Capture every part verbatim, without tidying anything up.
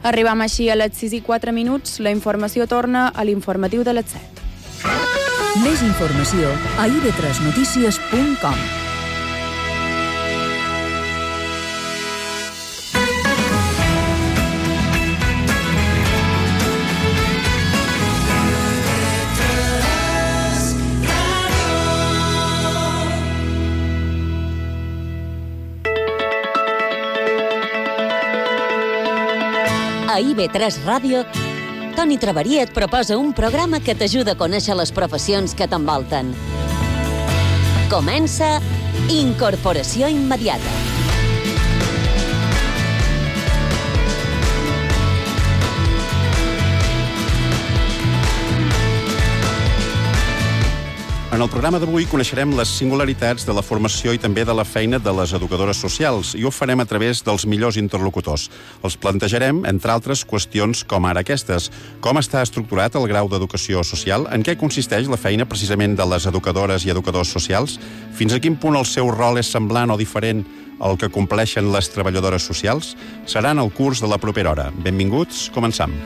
Arribam així a les sis i quatre minuts. La informació torna a l'informatiu de les set. Més informació a i be tres notícies punt com. A i be tres Ràdio, Toni Traveria et proposa un programa que t'ajuda a conèixer les professions que t'envolten. Comença Incorporació Immediata. En el programa d'avui coneixerem les singularitats de la formació i també de la feina de les educadores socials, i ho farem a través dels millors interlocutors. Els plantejarem, entre altres, qüestions com ara aquestes. Com està estructurat el grau d'educació social? En què consisteix la feina precisament de les educadores i educadors socials? Fins a quin punt el seu rol és semblant o diferent al que compleixen les treballadores socials? Serà en el curs de la propera hora. Benvinguts, començam.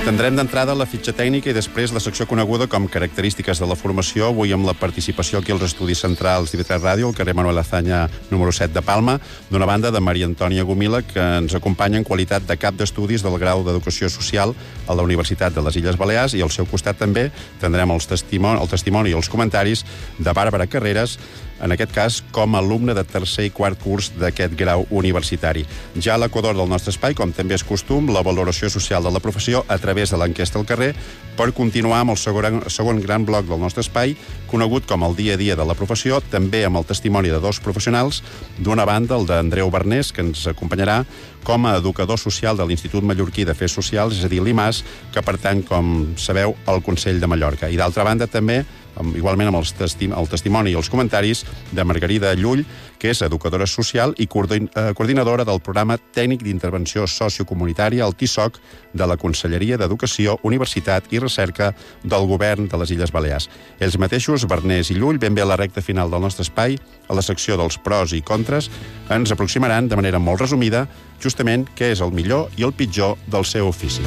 Tindrem d'entrada la fitxa tècnica i després la secció coneguda com característiques de la formació, avui amb la participació aquí als estudis centrals d'I B tres Ràdio, al carrer Manuel Azaña número set de Palma, d'una banda de Maria Antònia Gomila, que ens acompanya en qualitat de cap d'estudis del grau d'Educació Social a la Universitat de les Illes Balears, i al seu costat també tindrem els testimoni, el testimoni i els comentaris de Bàrbara Carreras, en aquest cas com a alumne de tercer i quart curs d'aquest grau universitari. Ja a l'equador del nostre espai, com també és costum, la valoració social de la professió a través de l'enquesta al carrer, per continuar amb el segon, segon gran bloc del nostre espai, conegut com el dia a dia de la professió, també amb el testimoni de dos professionals, d'una banda el d'Andreu Bernés, que ens acompanyarà com a educador social de l'Institut Mallorquí d'Afers Socials, és a dir, l'I M A S, que pertany, com sabeu, al Consell de Mallorca. I d'altra banda també, igualment amb els testi el testimoni i els comentaris de Margarida Llull, que és educadora social i coordinadora del programa tècnic d'intervenció sociocomunitària, el T I S O C, de la Conselleria d'Educació, Universitat i Recerca del Govern de les Illes Balears. Ells mateixos, Bernés i Llull, ben bé a la recta final del nostre espai, a la secció dels pros i contres, ens aproximaran de manera molt resumida justament què és el millor i el pitjor del seu ofici.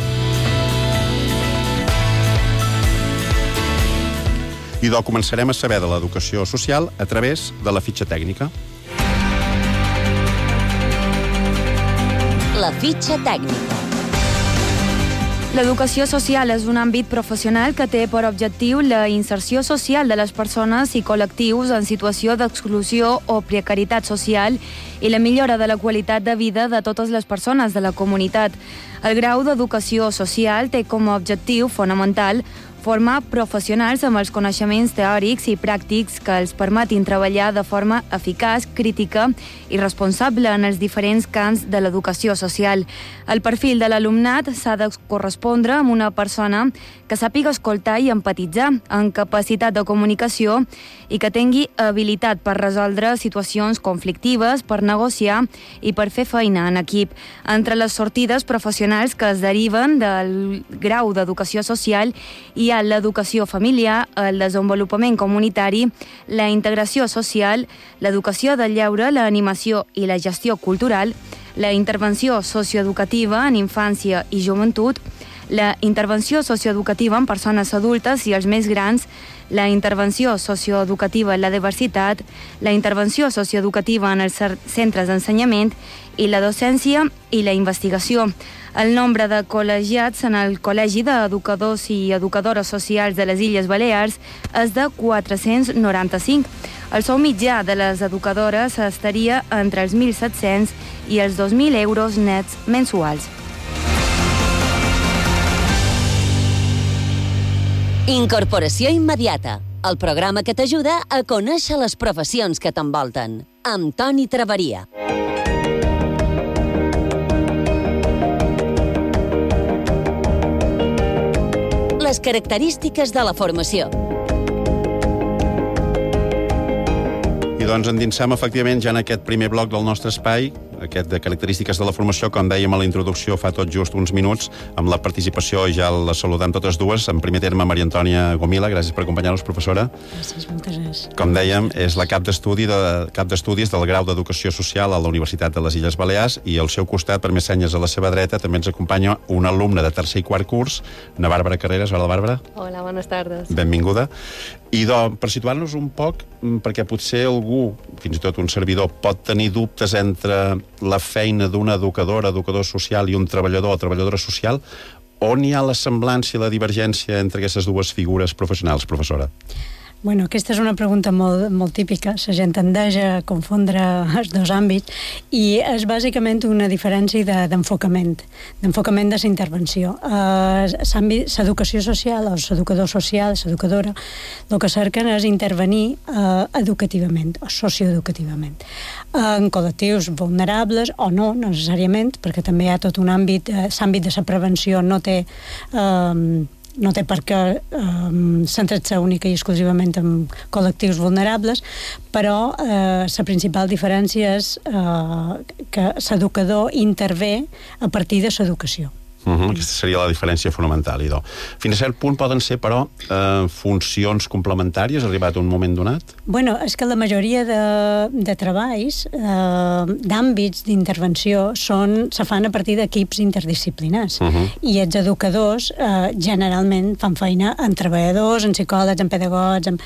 I doncs començarem a saber de l'educació social a través de la fitxa tècnica. La fitxa tècnica. L'educació social és un àmbit professional que té per objectiu la inserció social de les persones i col·lectius en situació d'exclusió o precarietat social i la millora de la qualitat de vida de totes les persones de la comunitat. El grau d'educació social té com a objectiu fonamental formar professionals amb els coneixements teòrics i pràctics que els permetin treballar de forma eficaç, crítica i responsable en els diferents camps de l'educació social. El perfil de l'alumnat s'ha de correspondre amb una persona que sàpiga escoltar i empatitzar, amb capacitat de comunicació i que tingui habilitat per resoldre situacions conflictives, per negociar i per fer feina en equip. Entre les sortides professionals que es deriven del grau d'educació social hi ha l'educació familiar, el desenvolupament comunitari, la integració social, l'educació del lleure, l'animació i la gestió cultural, la intervenció socioeducativa en infància i joventut, la intervenció socioeducativa en persones adultes i els més grans, la intervenció socioeducativa en la diversitat, la intervenció socioeducativa en els centres d'ensenyament i la docència i la investigació. El nombre de col·legiats en el Col·legi d'Educadors i Educadores Socials de les Illes Balears és de quatre-cents noranta-cinc. El sou mitjà de les educadores estaria entre els mil set-cents i els dos mil euros nets mensuals. Incorporació Immediata, el programa que t'ajuda a conèixer les professions que t'envolten, amb Toni Traveria. Les característiques de la formació. I doncs endinsam efectivament ja en aquest primer bloc del nostre espai aquest de característiques de la formació, com dèiem a la introducció fa tot just uns minuts, amb la participació, ja la saludem totes dues. En primer terme, Maria Antònia Gomila, gràcies per acompanyar-nos, professora. Gràcies, moltes gràcies. Com dèiem, és la cap d'estudi de, cap d'estudis del grau d'Educació Social a la Universitat de les Illes Balears, i al seu costat, per més senyes a la seva dreta, també ens acompanya una alumna de tercer i quart curs, na Bàrbara Carreras. Hola, Bàrbara. Hola, buenas tardes. Benvinguda. I do, per situar-nos un poc, perquè potser algú, fins i tot un servidor, pot tenir dubtes entre la feina d'una educadora, educador social, i un treballador o treballadora social, on hi ha la semblança i la divergència entre aquestes dues figures professionals, professora? Bueno, aquesta és una pregunta molt, molt típica. La gent tendeix a confondre els dos àmbits i és bàsicament una diferència de, d'enfocament, d'enfocament de la intervenció. L'educació social, o l'educador social, l'educadora, el que cerquen és intervenir uh, educativament o socioeducativament en col·lectius vulnerables o no, necessàriament, perquè també hi ha tot un àmbit, uh, l'àmbit de la prevenció no té... Uh, no té per què um, centrar-se única i exclusivament en col·lectius vulnerables, però eh, la principal diferència és eh, que l'educador intervé a partir de l'educació. Uh-huh. Aquesta seria la diferència fonamental, idò. Fins a cert punt poden ser, però, eh, funcions complementàries, arribat a un moment donat? Bueno, és que la majoria de, de treballs, eh, d'àmbits d'intervenció, són, se fan a partir d'equips interdisciplinars. Uh-huh. I els educadors, eh, generalment, fan feina en treballadors, en psicòlegs, en pedagogs, en...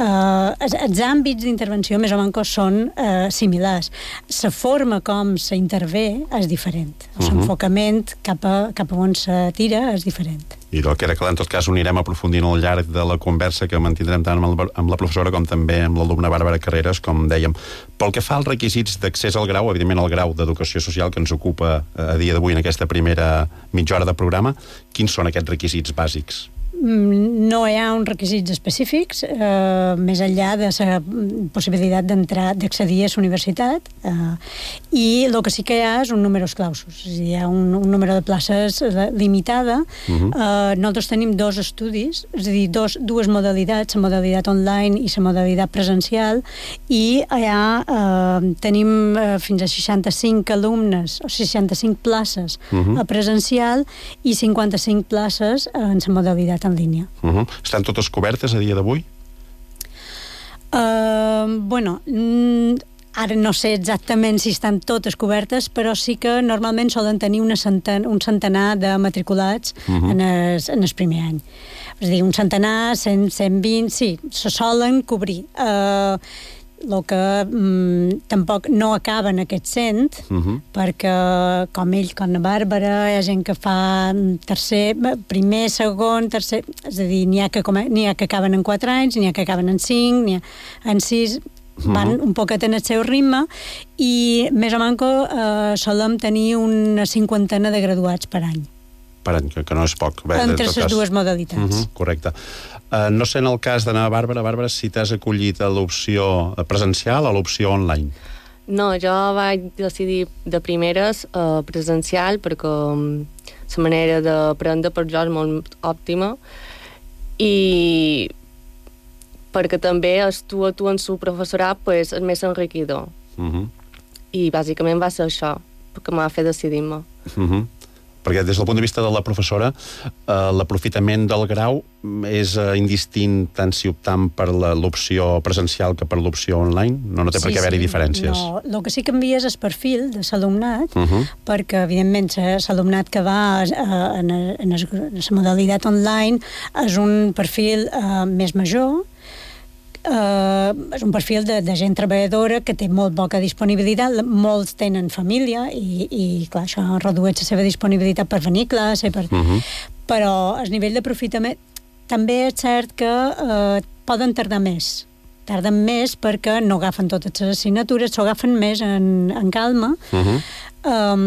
Uh, els, els àmbits d'intervenció més o menys són uh, similars. La forma com s'intervé és diferent. Uh-huh. L'enfocament cap a, cap a on se tira és diferent. I del que era clar, en tot cas, ho anirem aprofundint al llarg de la conversa que mantindrem tant amb, el, amb la professora com també amb l'alumna Bàrbara Carreras, com dèiem. Pel que fa als requisits d'accés al grau, evidentment el grau d'Educació Social que ens ocupa a dia d'avui en aquesta primera mitja hora de programa, quins són aquests requisits bàsics? No hi ha uns requisits específics, eh, més enllà de la possibilitat d'entrar, d'accedir a la universitat, eh, i el que sí que hi ha és un número clausus. Hi ha un, un número de places limitada. Uh-huh. eh, nosaltres tenim dos estudis, és a dir, dos, dues modalitats, la modalitat online i la modalitat presencial, i allà eh, tenim eh, fins a seixanta-cinc alumnes, o seixanta-cinc places uh-huh. a presencial i cinquanta-cinc places en la modalitat en línia. Uh-huh. Estan totes cobertes a dia d'avui? Uh, bueno, ara no sé exactament si estan totes cobertes, però sí que normalment solen tenir una centen, un centenar de matriculats uh-huh. en, el, en el primer any. És a dir, un centenar, cent, cent vint, sí, se solen cobrir. Uh, el que mm, tampoc no acaba en aquest cent, uh-huh. perquè com ell, com la Bàrbara, hi ha gent que fa tercer, primer, segon, tercer, és a dir, n'hi ha que, n'hi ha que acaben en quatre anys, n'hi ha que acaben en cinc, n'hi ha en sis, uh-huh. van un poquet en el seu ritme, i més o menys eh, solem tenir una cinquantena de graduats per any. Per any, que, que no és poc. Bé, entre les dues modalitats. Uh-huh, correcte. Uh, no sé, en el cas d'anar a Bàrbara, Bàrbara, si t'has acollit a l'opció presencial o a l'opció online? No, jo vaig decidir de primeres uh, presencial perquè um, la manera d'aprendre per jo és molt òptima i perquè també es tu a tu en su professorat pues, és més enriquidor. Uh-huh. I bàsicament va ser això, perquè m'ha fet decidir-me. Uh-huh. Perquè des del punt de vista de la professora, eh, l'aprofitament del grau és eh, indistint tant si optam per la, l'opció presencial que per l'opció online? No, no té sí, per què haver-hi sí. diferències? No, el que sí que canvia és el perfil de l'alumnat, uh-huh. perquè, evidentment, l'alumnat que va eh, en, en la modalitat online és un perfil eh, més major, Uh, és un perfil de, de gent treballadora que té molt poca disponibilitat, molts tenen família i, i clar, això redueix la seva disponibilitat per venir a classe, per... uh-huh. però el nivell d'aprofitament també és cert que uh, poden tardar més tarden més perquè no agafen totes les assignatures, s'ho agafen més en, en calma, uh-huh. um,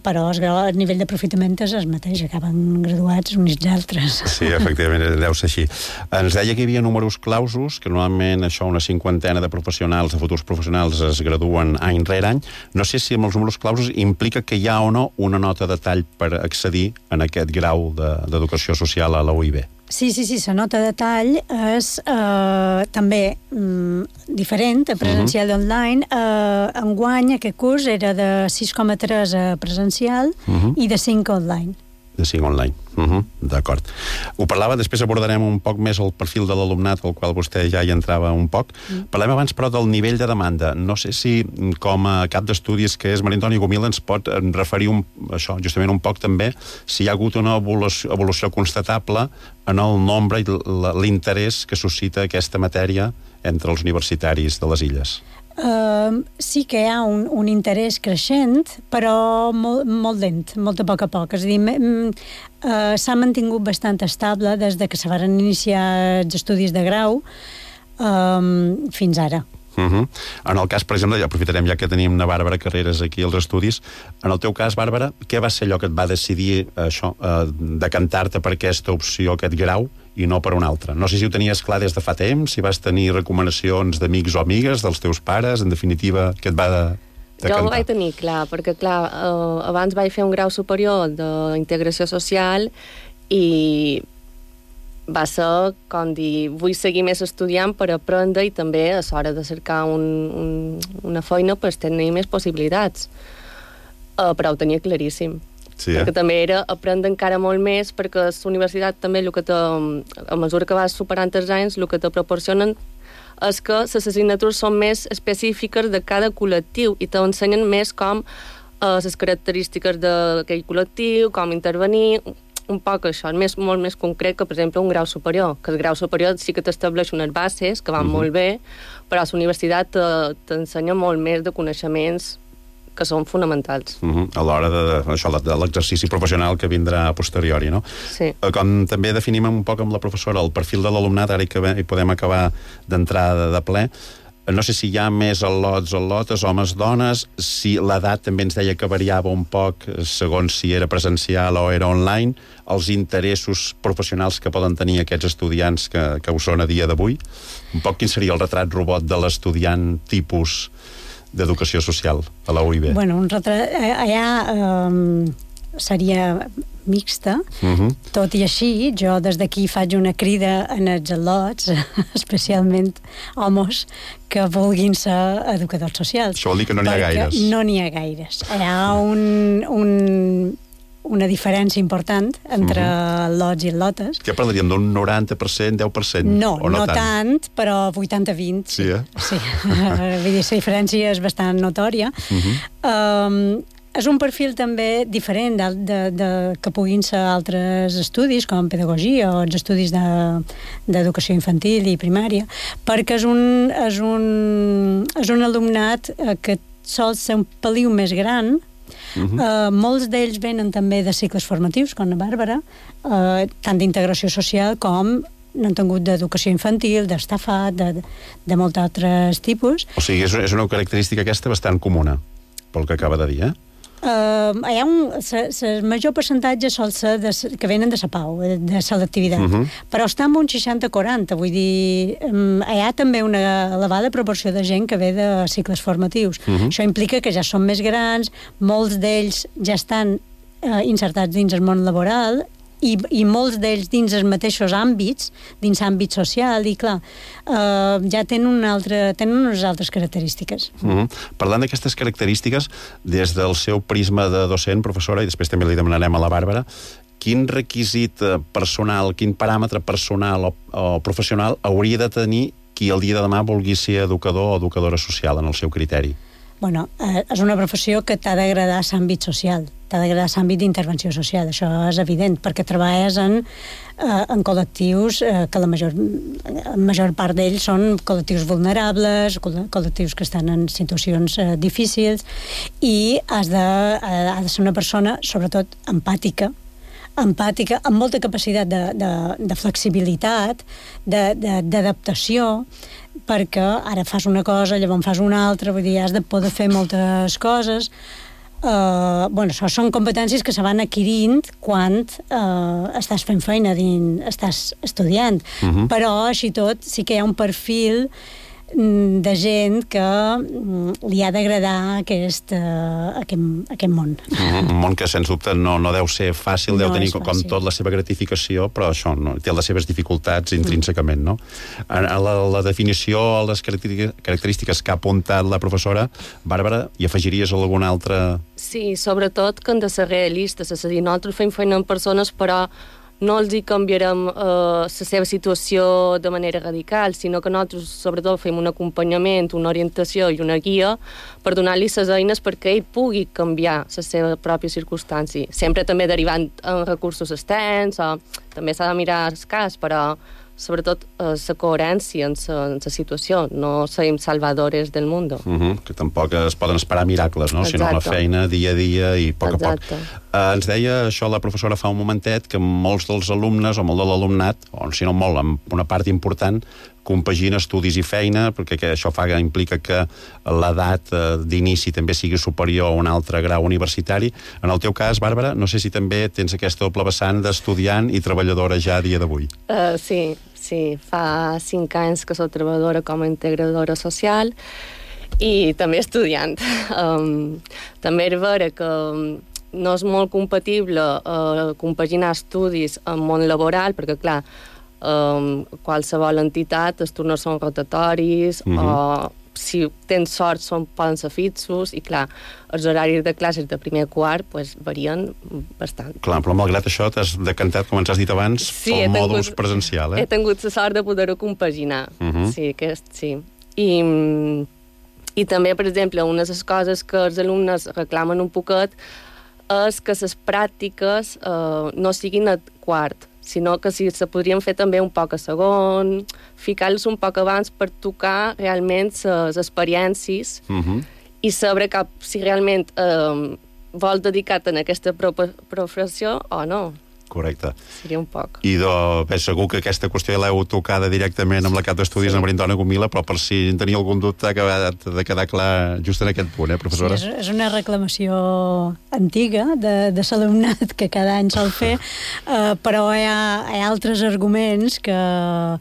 però el, el nivell d'aprofitament és el mateix, acaben graduats uns i altres. Sí, efectivament, deu ser així. Ens deia que hi havia números clausos, que normalment això, una cinquantena de professionals, de futurs professionals, es graduen any rere any. No sé si amb els números clausos implica que hi ha o no una nota de tall per accedir en aquest grau de, d'educació social a la U I B. Sí, sí, sí, la nota de tall és eh, també mm, diferent, a presencial i online. Eh, enguany aquest curs era de sis coma tres a presencial uh-huh. i de cinc online. De cinc online. Uh-huh. D'acord. Ho parlava, després abordarem un poc més el perfil de l'alumnat, al qual vostè ja hi entrava un poc. Mm. Parlem abans, però, del nivell de demanda. No sé si, com a cap d'estudis que és Maria Antònia Gomila, ens pot referir un, això, justament un poc també, si hi ha hagut una evolució, evolució constatable en el nombre i l'interès que suscita aquesta matèria entre els universitaris de les illes. Uh, sí que hi ha un, un interès creixent, però molt, molt lent, molt a poc a poc. És a dir, uh, s'ha mantingut bastant estable des de que se van iniciar els estudis de grau um, fins ara. Uh-huh. En el cas, per exemple, ja aprofitarem ja que tenim una Bàrbara Carreras aquí als estudis. En el teu cas, Bàrbara, què va ser allò que et va decidir això, eh, decantar-te per aquesta opció, aquest grau, i no per una altra? No sé si ho tenies clar des de fa temps, si vas tenir recomanacions d'amics o amigues, dels teus pares, en definitiva, què et va de, decantar? Jo ho vaig tenir clar, perquè, clar, eh, abans vaig fer un grau superior d'integració social i va ser com dir, vull seguir més estudiant per aprendre i també a l'hora de cercar un, un, una feina per tenir més possibilitats. Uh, però ho tenia claríssim. Sí, eh? Perquè també era aprendre encara molt més, perquè la universitat també, el que te, a mesura que vas superant els anys, el que te proporcionen és que les assignatures són més específiques de cada col·lectiu i t'ensenyen més com uh, les característiques d'aquell col·lectiu, com intervenir, un poc això, més, molt més concret que, per exemple, un grau superior, que el grau superior sí que t'estableix unes bases que van uh-huh. molt bé, però la universitat t'ensenya molt més de coneixements que són fonamentals. Uh-huh. A l'hora de, això, de l'exercici professional que vindrà a posteriori, no? Sí. Com també definim un poc amb la professora el perfil de l'alumnat, ara hi podem acabar d'entrar de, de ple. No sé si hi ha més al·lots, al·lotes, homes, dones, si l'edat també ens deia que variava un poc segons si era presencial o era online, els interessos professionals que poden tenir aquests estudiants que, que ho són a dia d'avui. Un poc quin seria el retrat robot de l'estudiant tipus d'educació social a la U I B? Bueno, un retrat... Allà um, seria mixta, uh-huh. tot i així, jo des d'aquí faig una crida en els al·lots, especialment homes, que vulguin ser educadors socials. Això vol dir que no n'hi ha gaires. No n'hi ha gaires. Hi ha un, un, una diferència important entre uh-huh. al·lots i al·lotes. Què parlaríem, d'un noranta per cent, deu per cent? No, o no, no tant? tant, però vuitanta vint. Sí, eh? Sí. Vull dir, la diferència és bastant notòria. Uh-huh. Um, És un perfil també diferent de, de, de, que puguin ser altres estudis, com pedagogia o els estudis d'educació de, infantil i primària, perquè és un, és un, és un alumnat que sol ser un peliu més gran. Uh-huh. Uh, molts d'ells venen també de cicles formatius, com la Bàrbara, uh, tant d'integració social com n'han tingut d'educació infantil, d'estafat, de, de molts altres tipus. O sigui, és, és una característica aquesta bastant comuna, pel que acaba de dir, eh? Uh, hi ha un... El major percentatge sol ser de, que venen de la Pau, de selectivitat, uh-huh. però està en un seixanta quaranta, vull dir, um, hi ha també una elevada proporció de gent que ve de cicles formatius. Uh-huh. Això implica que ja són més grans, molts d'ells ja estan uh, insertats dins el món laboral, i, i molts d'ells dins els mateixos àmbits, dins l'àmbit social, i clar, eh, ja tenen, una altra, tenen unes altres característiques. Mm-hmm. Parlant d'aquestes característiques, des del seu prisma de docent, professora, i després també li demanarem a la Bàrbara, quin requisit personal, quin paràmetre personal o, o professional hauria de tenir qui el dia de demà vulgui ser educador o educadora social en el seu criteri? Bueno, eh, és una professió que t'ha d'agradar l'àmbit social, t'ha d'agradar l'àmbit d'intervenció social, això és evident, perquè treballes en, eh, en col·lectius eh, que la major, la major part d'ells són col·lectius vulnerables, col·lectius que estan en situacions eh, difícils, i has de, eh, has de ser una persona, sobretot, empàtica, empàtica, amb molta capacitat de, de, de flexibilitat, d'adaptació, perquè ara fas una cosa, llavors fas una altra, vull dir, has de poder fer moltes coses. Uh, bueno, això són competències que se van adquirint quan uh, estàs fent feina, dins, estàs estudiant, uh-huh. però així tot sí que hi ha un perfil de gent que li ha d'agradar aquest, uh, aquest, aquest món. Mm-hmm. Un món que, sens dubte, no, no deu ser fàcil, deu no tenir fàcil. com tot la seva gratificació, però això no, té les seves dificultats intrínsecament, no? A la, la definició, a les característiques que ha apuntat la professora, Bàrbara, hi afegiries alguna altra... Sí, sobretot que han de ser realistes, és a dir, nosaltres fem feina amb persones, però no els hi canviarem eh, la seva situació de manera radical, sinó que nosaltres, sobretot, fem un acompanyament, una orientació i una guia per donar-li les eines perquè ell pugui canviar la seva pròpia circumstància. Sempre també derivant en recursos externs, o també s'ha de mirar el cas, però sobretot la eh, coherència en la situació. No som salvadores del món. Uh-huh, que tampoc es poden esperar miracles, no? Sinó la feina dia a dia i a poc Exacte. a poc. Uh, ens deia això la professora fa un momentet, que molts dels alumnes, o molt de l'alumnat, o si no molt, amb una part important, compagina estudis i feina, perquè que això fa, implica que l'edat eh, d'inici també sigui superior a un altre grau universitari. En el teu cas, Bàrbara, no sé si també tens aquesta doble vessant d'estudiant i treballadora ja a dia d'avui. Uh, sí, sí. Fa cinc anys que soc treballadora com a integradora social i també estudiant. Um, també és vera que no és molt compatible uh, compaginar estudis amb món laboral, perquè, clar, Um, qualsevol entitat, els turnos són rotatoris, mm-hmm. o si tens sort són, poden ser fixos, i clar, els horaris de classes de primer a quart pues, varien bastant. Clar, però malgrat això t'has decantat, com ens has dit abans, sí, pel tingut, mòdul presencial, eh? He tingut la sort de poder-ho compaginar. Mm-hmm. Sí, aquest, sí. I, I també, per exemple, una de les coses que els alumnes reclamen un poquet és que les pràctiques eh, no siguin a quart, sinó que si se podrien fer també un poc a segon, ficar-los un poc abans per tocar realment les experiències uh-huh. i saber cap, si realment eh, vol dedicar-te en aquesta professió o no. Correcte. Seria un poc. I de, bé, segur que aquesta qüestió l'heu tocada directament amb la cap d'estudis sí. de Maria Antònia Gomila, però per si en tenia algun dubte ha acabat de quedar clar just en aquest punt, eh, professora? Sí, és, és una reclamació antiga de, de l'alumnat que cada any sol fer, uh, però hi ha, hi ha altres arguments que...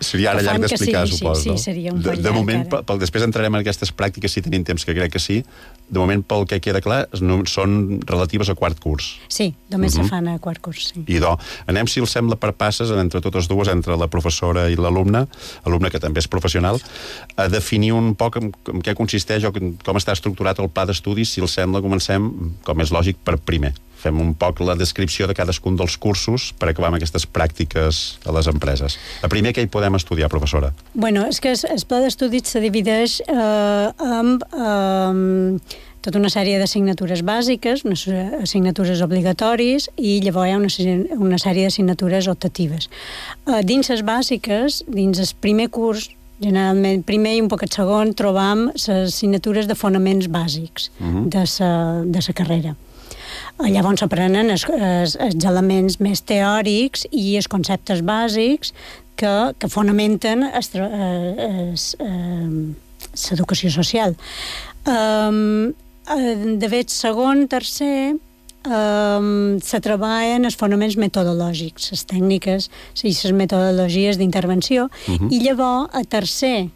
Seria ara llarg d'explicar, sí, suposo. Sí, sí, seria un de, poc de llarg. Moment, pel, després entrarem en aquestes pràctiques, si tenim temps, que crec que sí. De moment, pel que queda clar, no, són relatives a quart curs. Sí, només uh-huh. se fan a quart curs, sí. Idò. Anem, si els sembla, per passes, entre totes dues, entre la professora i l'alumne, alumne que també és professional, a definir un poc en, en què consisteix o com està estructurat el pla d'estudis. Si els sembla, comencem, com és lògic, per primer. Fem un poc la descripció de cadascun dels cursos per acabar amb aquestes pràctiques a les empreses. A primer, què hi podem estudiar, professora? Bueno, és que el pla d'estudis se divideix eh, amb... Eh, tota una sèrie d'assignatures bàsiques, unes assignatures obligatoris, i llavors hi ha una, una sèrie d'assignatures optatives. Uh, dins les bàsiques, dins el primer curs, generalment, primer i un poc el segon, trobam les assignatures de fonaments bàsics uh-huh. de sa, de sa carrera. Uh, llavors s'aprenen els, els, els elements més teòrics i els conceptes bàsics que, que fonamenten l'educació social. Um, de fet, segon, tercer, um, se treballen els fonaments metodològics, les tècniques i les metodologies d'intervenció, uh-huh. i llavors, a tercer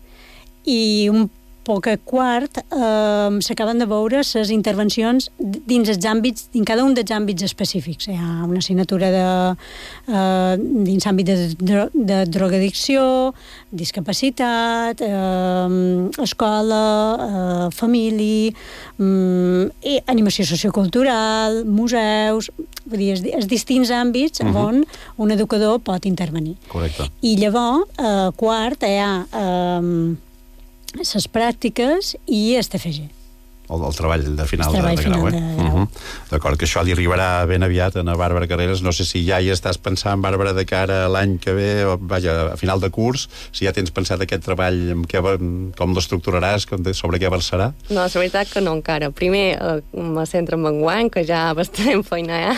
i un poc a quart, eh, s'acaben de veure les intervencions dins els àmbits, dins cada un dels àmbits específics. Hi ha una assignatura de, eh, dins l'àmbit de, de, de drogadicció, discapacitat, eh, escola, eh, família, eh, animació sociocultural, museus, vull dir, els, els distints àmbits uh-huh. on un educador pot intervenir. Correcte. I llavors, eh, quart, hi ha... Eh, les pràctiques i el T F G. El, el treball de final, el treball de, de grau, final eh? de grau. Uh-huh. D'acord, que això li arribarà ben aviat a Bàrbara Carreras. No sé si ja hi estàs pensant, Bàrbara, de cara a l'any que ve, o, vaja, a final de curs, si ja tens pensat aquest treball, amb què, com l'estructuraràs, sobre què versarà? No, la veritat que no encara. Primer eh, me centro en enguany, que ja bastant feina hi ha,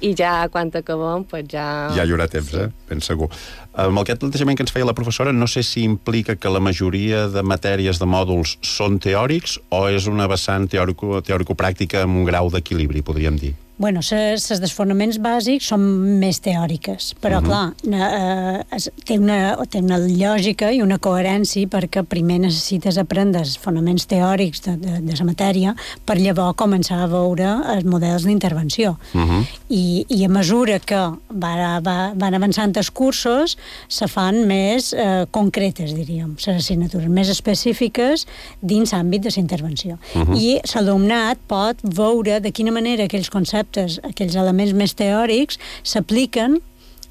i ja quan acabem, pues ja... Ja hi haurà temps, sí. eh? Ben segur. Amb aquest plantejament que ens feia la professora, no sé si implica que la majoria de matèries de mòduls són teòrics o és una vessant teòrico, teòrico-pràctica amb un grau d'equilibri, podríem dir. bueno, les dels fonaments bàsics són més teòriques, però, uh-huh. clar, eh, té, una, té una lògica i una coherència perquè primer necessites aprendre els fonaments teòrics de, de, de la matèria per llavors començar a veure els models d'intervenció. Uh-huh. I, I a mesura que va, va, van avançant els cursos, se fan més eh, concretes, diríem, les assignatures més específiques dins l'àmbit de la intervenció. Uh-huh. I l'alumnat pot veure de quina manera aquells conceptes, aquells elements més teòrics s'apliquen,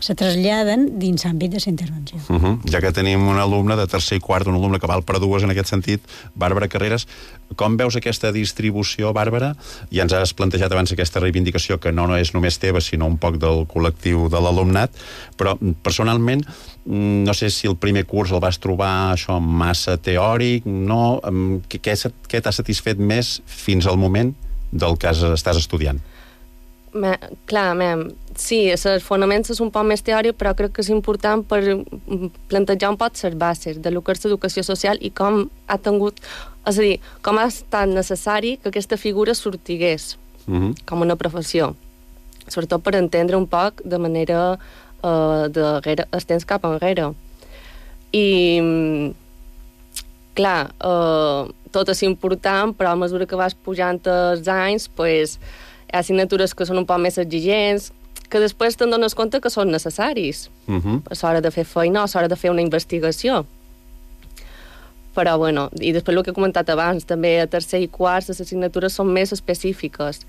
se traslladen dins l'àmbit de la intervenció. Uh-huh. Ja que tenim un alumne de tercer i quart, un alumne que val per dues en aquest sentit, Bàrbara Carreras, com veus aquesta distribució, Bàrbara? Ja ens has plantejat abans aquesta reivindicació que no, no és només teva, sinó un poc del col·lectiu de l'alumnat, però personalment no sé si el primer curs el vas trobar això massa teòric, no? Què, què t'ha satisfet més fins al moment del que estàs estudiant? Me, clar, mem, sí, els fonaments és un poc més teòric, però crec que és important per plantejar un poc les bases de lo que és l'educació social i com ha tingut, és a dir, com ha estat necessari que aquesta figura sortigués uh-huh. com una professió, sobretot per entendre un poc de manera uh, de el temps cap enrere. I clar, uh, tot és important, però a mesura que vas pujant els anys, pues, hi ha assignatures que són un poc més exigents, que després te'n dones compte que són necessaris uh-huh. a l'hora de fer feina o a l'hora de fer una investigació. Però, bueno, i després el que he comentat abans, també a tercer i quart les assignatures són més específiques.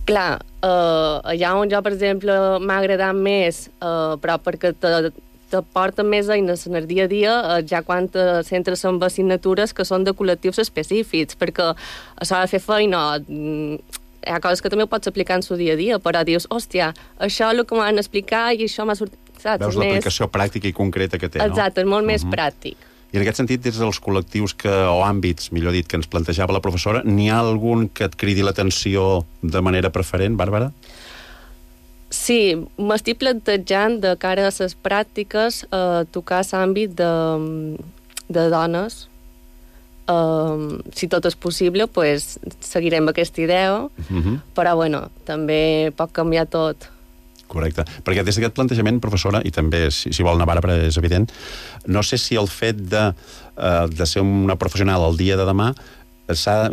Clar, eh, allà on jo, per exemple, m'ha agradat més, eh, però perquè te, te porten més eines en el dia a dia, eh, ja quan te centres en assignatures que són de col·lectius específics, perquè a l'hora de fer feina hi ha coses que també ho pots aplicar en el dia a dia, però dius, hòstia, això és el que m'han explicat i això m'ha sortit... Saps? Veus l'aplicació més... pràctica i concreta que té, no? Exacte, és molt uh-huh. més pràctic. I en aquest sentit, des dels col·lectius que, o àmbits, millor dit, que ens plantejava la professora, n'hi ha algun que et cridi l'atenció de manera preferent, Bàrbara? Sí, m'estic plantejant de cara a les pràctiques eh, tocar l'àmbit de, de dones. Um, si tot és possible, pues, seguirem aquesta idea, uh-huh. però bueno, també pot canviar tot. Correcte, perquè des d'aquest plantejament, professora, i també, si, si vol anar Bàrbara, és evident, no sé si el fet de, uh, de ser una professional el dia de demà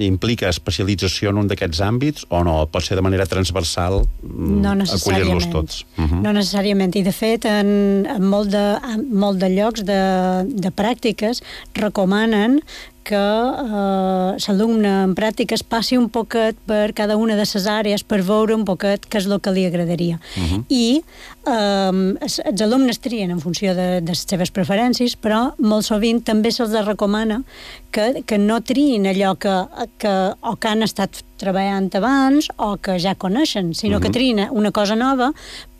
implica especialització en un d'aquests àmbits o no? Pot ser de manera transversal no acollir-los tots? Uh-huh. No necessàriament. I, de fet, en, en molt, de, en molt de llocs de, de pràctiques recomanen que eh, l'alumne en pràctiques passi un poquet per cada una de les àrees per veure un poquet què és el que li agradaria. Uh-huh. I eh, els, els alumnes trien en funció de, de les seves preferències, però molt sovint també se'ls recomana que, que no triïn allò que, que o que han estat treballant abans o que ja coneixen, sinó uh-huh. que triïn una cosa nova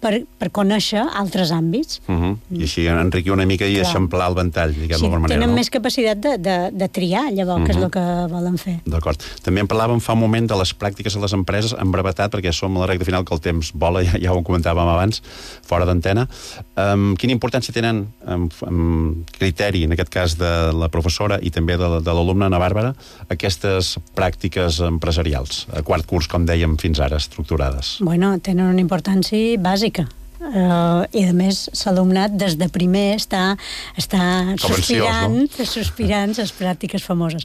per, per conèixer altres àmbits. Uh-huh. I així enriquir una mica i eixamplar el ventall, diguem sí, d'alguna manera. Tenen no? més capacitat de, de, de triar, llavors, uh-huh. que és el que volen fer. D'acord. També en parlàvem fa un moment de les pràctiques a les empreses, en brevetat, perquè som a la recta final que el temps vola, ja, ja ho comentàvem abans, fora d'antena. Um, quina importància tenen, um, um, criteri, en aquest cas de la professora i també de, de l'alumne Ana Bàrbara, aquestes pràctiques empresarials, a quart curs, com dèiem, fins ara, estructurades? Bueno, tenen una importància bàsica. Uh, i a més l'alumnat des de primer està, està sospirant, no? sospirant les pràctiques famoses.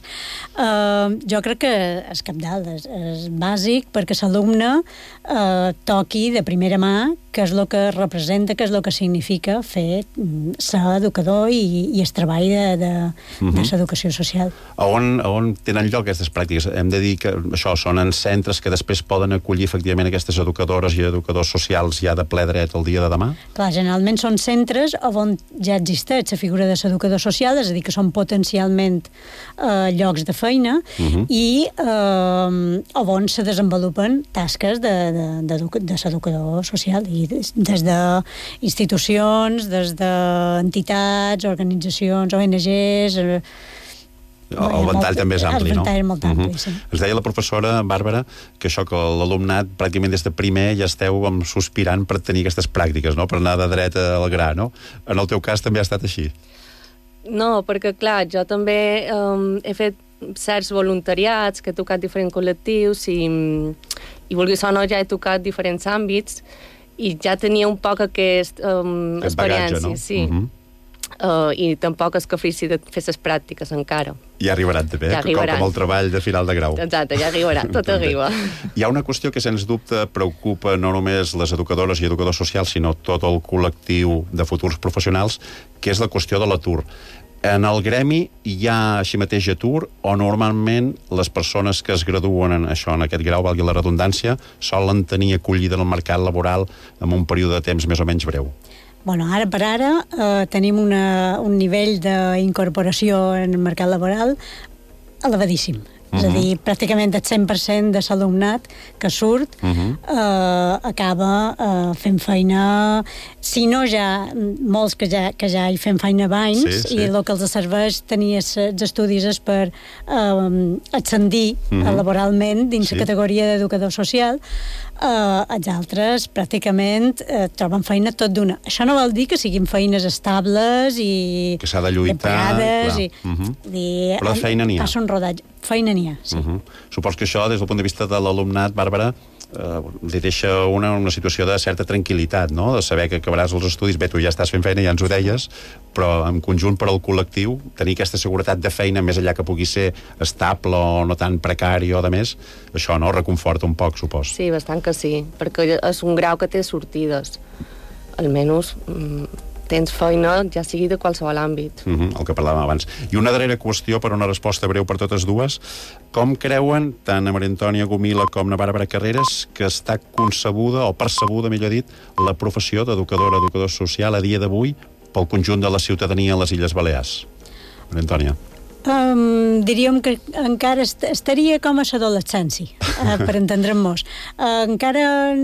Uh, jo crec que és cabdal, és, és bàsic perquè l'alumne uh, toqui de primera mà què és el que representa, què és el que significa fer ser educador i, i el treball de, de, uh-huh. de l'educació social. A on, a on tenen lloc aquestes pràctiques? Hem de dir que això són en centres que després poden acollir efectivament aquestes educadores i educadors socials ja de ple dret el dia de demà? Clar, generalment són centres on ja existeix la figura de l'educador social, és a dir, que són potencialment eh, llocs de feina uh-huh. i eh, on se desenvolupen tasques de, de, de, de l'educador social, i des, des d'institucions, des d'entitats, organitzacions, O N Ges... Eh, El ventall també és ampli, no? El ventall és molt ampli, uh-huh. sí. Ens deia la professora Bàrbara que això, que l'alumnat pràcticament des de primer ja esteu com sospirant per tenir aquestes pràctiques, no? Per anar de dret al gra, no? En el teu cas també ha estat així? No, perquè clar, jo també um, he fet certs voluntariats, que he tocat diferents col·lectius i, i vulguis o no ja he tocat diferents àmbits i ja tenia un poc aquest um, experiència, bagatge, no? sí. Uh-huh. Uh, i tampoc és que fessi de fer les pràctiques encara. Ja arribaran també, ja arribaran. Com el treball de final de grau. Exacte, ja arribarà, tot arriba. Hi ha una qüestió que, sens dubte, preocupa no només les educadores i educadors socials, sinó tot el col·lectiu de futurs professionals, que és la qüestió de l'atur. En el gremi hi ha així mateix atur o normalment les persones que es graduen en això, en aquest grau, valgui la redundància, solen tenir acollida en el mercat laboral en un període de temps més o menys breu? Bueno, ara per ara eh, tenim una, un nivell d'incorporació en el mercat laboral elevadíssim. Uh-huh. És a dir, pràcticament el cent per cent de l'alumnat que surt uh-huh. eh, acaba eh, fent feina, si no ja, molts que ja, que ja hi fem feina abans, sí, sí. I el que els serveix tenir els estudis és per eh, ascendir uh-huh. laboralment dins sí. la categoria d'educador social. Uh, els altres pràcticament uh, troben feina tot d'una. Això no vol dir que siguin feines estables i que s'ha de lluitar, i, uh-huh. i, però de feina n'hi ha. Passa un rodatge. Feina n'hi ha, sí. Uh-huh. Supos que això, des del punt de vista de l'alumnat, Bàrbara, eh, li deixa una, una situació de certa tranquil·litat, no? De saber que acabaràs els estudis, bé, tu ja estàs fent feina, ja ens ho deies, però en conjunt per al col·lectiu, tenir aquesta seguretat de feina més enllà que pugui ser estable o no tan precari o de més, això no reconforta un poc, supos. Sí, bastant que sí, perquè és un grau que té sortides. Almenys mm, tens feina, ja sigui de qualsevol àmbit. Uh-huh, el que parlàvem abans. I una darrera qüestió per una resposta breu per totes dues. Com creuen, tant a Maria Antònia Gomila com a Bàrbara Carreras, que està concebuda, o percebuda, millor dit, la professió d'educadora, educador social a dia d'avui pel conjunt de la ciutadania a les Illes Balears? Maria Antònia. Um, diríem que encara est estaria com a l'adolescència, uh, per entendre'ns. Uh, encara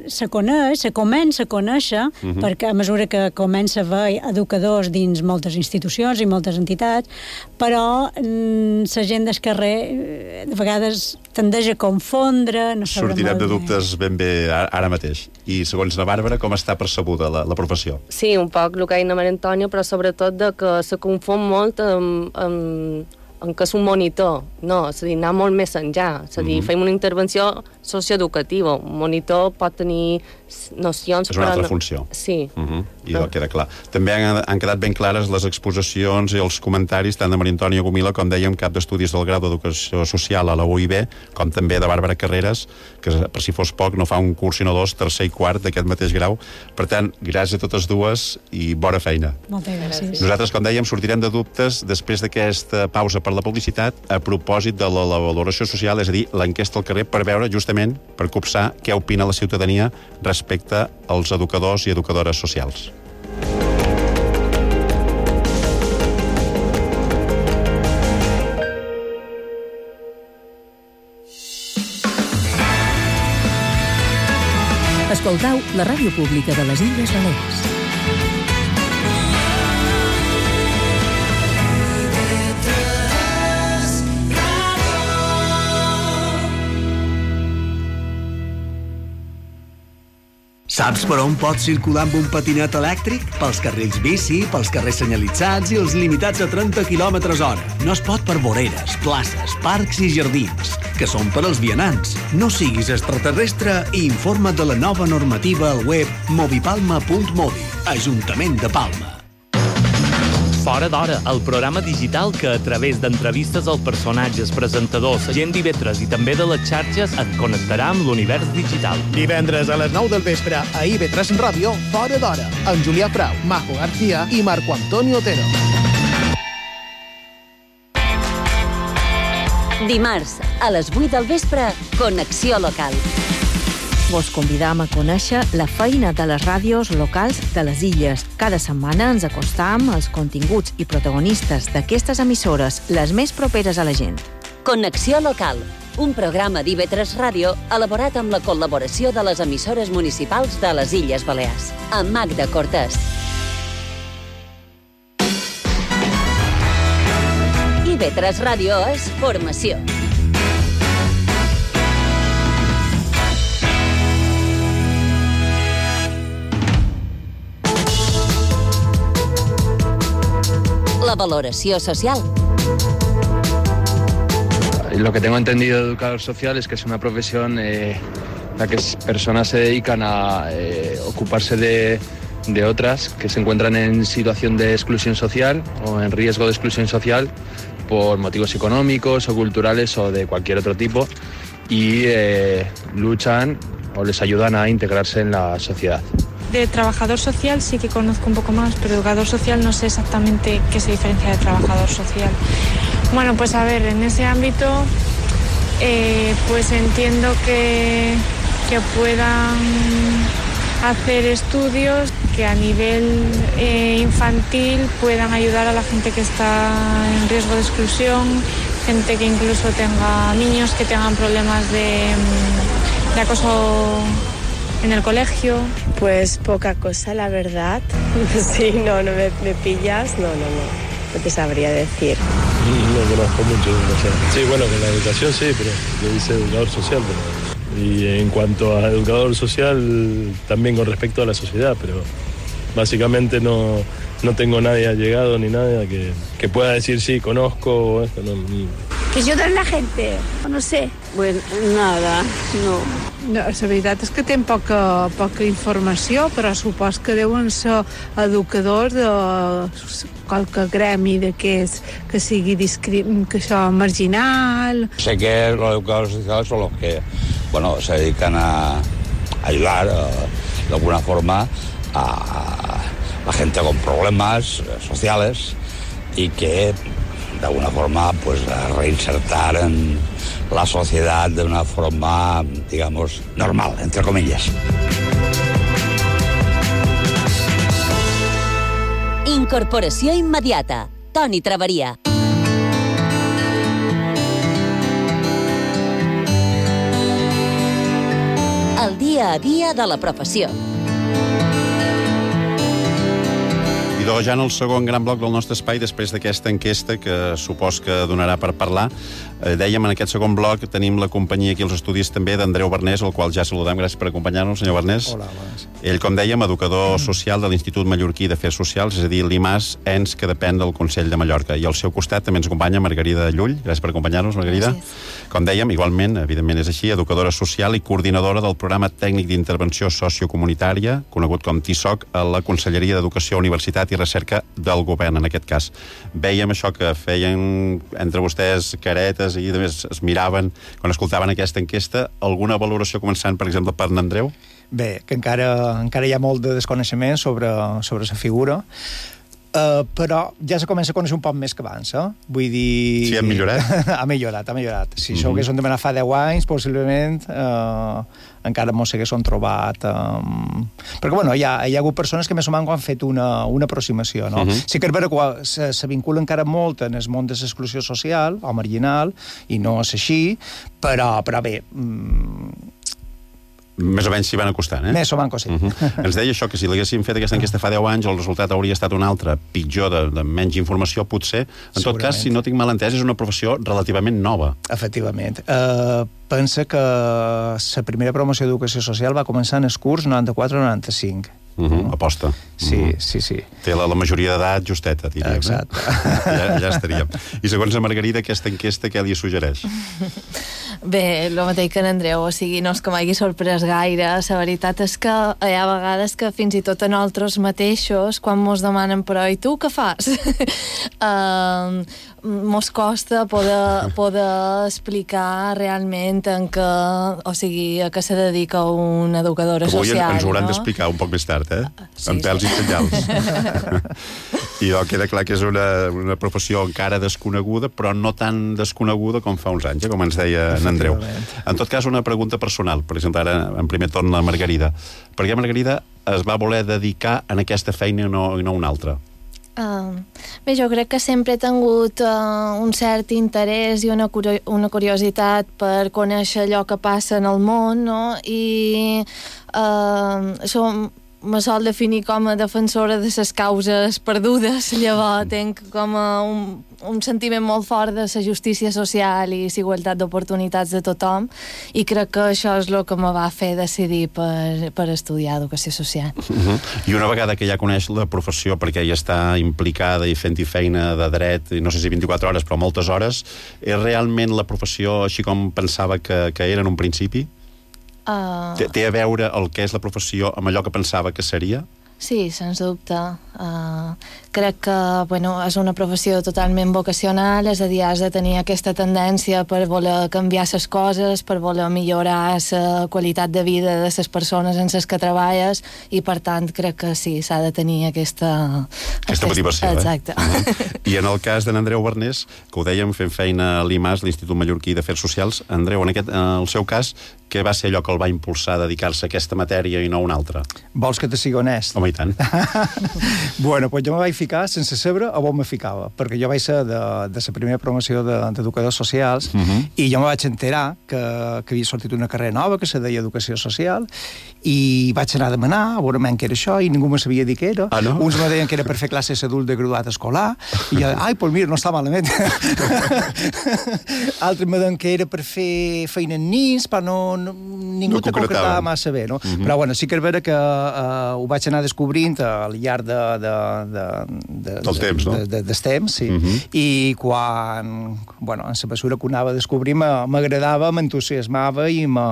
se coneix, se comença a conèixer, uh -huh. perquè a mesura que comença a haver educadors dins moltes institucions i moltes entitats, però um, la gent del carrer de vegades tendeix a confondre, no sabrà Sortirem molt de bé. dubtes ben bé ara mateix. I segons la Bàrbara, com està percebuda la, la professió? Sí, un poc el que ha dit la Maria Antònia, però sobretot de que se confon molt amb, amb en què és un monitor. No, és a dir, anar molt més enllà. És a dir, mm-hmm. fem una intervenció socioeducativa. Un monitor pot tenir nocions... És una altra no... funció. Sí. Mm-hmm. I no. Queda clar. També han, han quedat ben clares les exposicions i els comentaris tant de Maria Antònia Gomila, com dèiem, cap d'estudis del grau d'Educació Social a la U I B, com també de Bàrbara Carreras, que per si fos poc no fa un curs sinó dos, tercer i quart d'aquest mateix grau. Per tant, gràcies a totes dues i bona feina. Moltes gràcies. Nosaltres, com dèiem, sortirem de dubtes després d'aquesta pausa per la publicitat a propòsit de la, la valoració social, és a dir, l'enquesta al carrer, per veure justament, per copsar què opina la ciutadania respecte als educadors i educadores socials. Escoltau la ràdio pública de les Illes Balears. Saps per on pots circular amb un patinet elèctric? Pels carrils bici, pels carrers senyalitzats i els limitats a trenta quilòmetres hora. No es pot per voreres, places, parcs i jardins, que són per als vianants. No siguis extraterrestre i informa't de la nova normativa al web movipalma punt modi, Ajuntament de Palma. Fora d'hora, el programa digital que, a través d'entrevistes als personatges, presentadors, gent d'I V tres i també de les xarxes, et connectarà amb l'univers digital. Divendres a les nou del vespre a I V tres Ràdio, Fora d'hora, amb Julià Frau, Majo García i Marco Antonio Otero. Dimarts, a les vuit del vespre, Connexió Local. Vos convidam a conèixer la feina de les ràdios locals de les illes. Cada setmana ens acostam als continguts i protagonistes d'aquestes emissores, les més properes a la gent. Connexió Local, un programa d'I V tres Ràdio elaborat amb la col·laboració de les emissores municipals de les Illes Balears. Amb Magda Cortés. I V tres Ràdio és formació. La valoració social. lo que tengo entendido de educador social es que es una profesión eh, en la que personas se dedican a eh, ocuparse de, de otras que se encuentran en situación de exclusión social o en riesgo de exclusión social por motivos económicos o culturales o de cualquier otro tipo y eh, luchan o les ayudan a integrarse en la sociedad. De trabajador social sí que conozco un poco más, pero educador social no sé exactamente qué se diferencia de trabajador social. Bueno, pues a ver, en ese ámbito eh, pues entiendo que, que puedan hacer estudios que a nivel eh, infantil puedan ayudar a la gente que está en riesgo de exclusión, gente que incluso tenga niños que tengan problemas de, de acoso en el colegio. Pues poca cosa, la verdad. Sí, no, no me, me pillas, no, no, no, no te sabría decir. No conozco mucho de educación. Sí, bueno, que la educación sí, pero yo hice educador social, pero... y en cuanto a educador social, también con respecto a la sociedad, pero básicamente no, no tengo nadie allegado ni nada que, que pueda decir sí, conozco o esto, no. Que ayudar a la gente, no sé. Bueno, nada, no. No, la veritat és que tenen poca, poca informació, però supos que deuen ser educadors de qualque gremi d'aquests que sigui discri... que això marginal. Sé que los educadores sociales son los que, bueno, se dedican a ayudar eh, de alguna forma a la gente con problemas sociales y que de alguna forma pues a reinsertar en la sociedad de una forma, digamos, normal, entre comillas. Incorporació immediata. Toni Traveria. El dia a dia de la professió. I doncs ja en el segon gran bloc del nostre espai, després d'aquesta enquesta que supos que donarà per parlar, eh, dèiem en aquest segon bloc tenim la companyia aquí als estudis també d'Andreu Bernés, el qual ja saludem. Gràcies per acompanyar-nos, senyor Bernés. Hola, bones. Ell, com dèiem, educador social de l'Institut Mallorquí d'Afers Socials, és a dir, l'I M A S, ens que depèn del Consell de Mallorca. I al seu costat també ens acompanya Margarida Llull. Gràcies per acompanyar-nos, Margarida. Gràcies. Com dèiem, igualment, evidentment és així, educadora social i coordinadora del programa tècnic d'intervenció sociocomunitària, conegut com T I S O C, a la Conselleria d'Educació, Universitat i Recerca del Govern, en aquest cas. Veiem això que feien entre vostès caretes i també es miraven quan escoltaven aquesta enquesta. Alguna valoració començant, per exemple, per n'Andreu? Bé, que encara, encara hi ha molt de desconeixement sobre, sobre la figura, uh, però ja se comença a conèixer un poc més que abans, eh? Vull dir... Sí, ha millorat? ha millorat, ha millorat. Si Mm-hmm. això ho haguéssim demanat fa deu anys, possiblement uh, encara mos s'haguessin trobat... Um... Perquè, bueno, hi ha, hi ha hagut persones que més o menys han fet una, una aproximació, no? Mm-hmm. Sí que és vera que se, se vincula encara molt en el món de l'exclusió social o marginal, i no és així, però, però bé... Um... Més o menys s'hi van acostant, eh? Més o menys, sí. Uh-huh. Ens deia això, que si l'haguéssim fet aquesta enquesta fa deu anys, el resultat hauria estat un altre, pitjor, de, de menys informació, potser. En tot cas, si no tinc mal entès, és una professió relativament nova. Efectivament. Uh, pensa que la primera promoció d'educació social va començar en el curs noranta-quatre noranta-cinc. Uh-huh. Aposta. Sí, uh-huh. sí, sí. Té la, la majoria d'edat justeta, diríem. Exacte. Eh? Ja, ja estaríem. I segons la Margarida, aquesta enquesta què li suggereix? Bé, el mateix que en Andreu, o sigui, no és que m'hagi sorprès gaire. La veritat és que hi ha vegades que fins i tot a nosaltres mateixos, quan mos demanen però i tu què fas? uh, mos costa poder, poder explicar realment en què, o sigui, a què se dedica una educadora Avui social. ens ho hauran no? d'explicar un poc més tard, eh? Sí, amb pèls sí. i senyals. I oh, queda clar que és una, una professió encara desconeguda, però no tan desconeguda com fa uns anys, eh? Com ens deia en Andreu. En tot cas, una pregunta personal, per exemple, ara en primer torn la Margarida. Per què Margarida es va voler dedicar en aquesta feina i no, i no una altra? Uh, bé, jo crec que sempre he tingut uh, un cert interès i una, curio una curiositat per conèixer allò que passa en el món, no? I uh, això me sol definir com a defensora de les causes perdudes, llavors tenc com a un, un sentiment molt fort de la justícia social i la igualtat d'oportunitats de tothom, i crec que això és el que me va fer decidir per, per estudiar educació social. Uh-huh. I una vegada que ja coneix la professió, perquè ja està implicada i fent-hi feina de dret, no sé si vint-i-quatre hores, però moltes hores, és realment la professió així com pensava que, que era en un principi? Uh... Té, té a veure el que és la professió amb allò que pensava que seria? Sí, sens dubte. Uh, crec que bueno, és una professió totalment vocacional, és a dir, has de tenir aquesta tendència per voler canviar les coses, per voler millorar la qualitat de vida de les persones en les que treballes, i per tant crec que sí, s'ha de tenir aquesta... Aquesta motivació, eh? Exacte. Uh-huh. I en el cas de n'Andreu Bernés, que ho dèiem fent feina a l'I M A S, l'Institut Mallorquí d'Afers Socials, Andreu, en, aquest, en el seu cas, què va ser allò que el va impulsar a dedicar-se a aquesta matèria i no a una altra? Vols que te sigui honest? Home, i tant. Bueno, doncs jo me vaig ficar sense saber a on me ficava, perquè jo vaig ser de, de la primera promoció d'educadors socials, uh-huh. i jo me vaig enterar que, que havia sortit una carrera nova que se deia Educació Social, i vaig anar a demanar a veure què era això, i ningú me sabia dir què era. Ah, no? Uns me deien que era per fer classes d'adult de graduat escolar, i jo, ai, doncs mira, no està malament. Altres me deien que era per fer feina en nins, però no, no, ningú no te concretava massa bé, no? Uh-huh. Però bueno, sí que és vera que uh, ho vaig anar descobrint al llarg de, de, de, de, del temps, no? De, de, del temps, sí. Uh-huh. I quan, bueno, en la mesura que ho anava a descobrir, m'agradava, m'entusiasmava i me,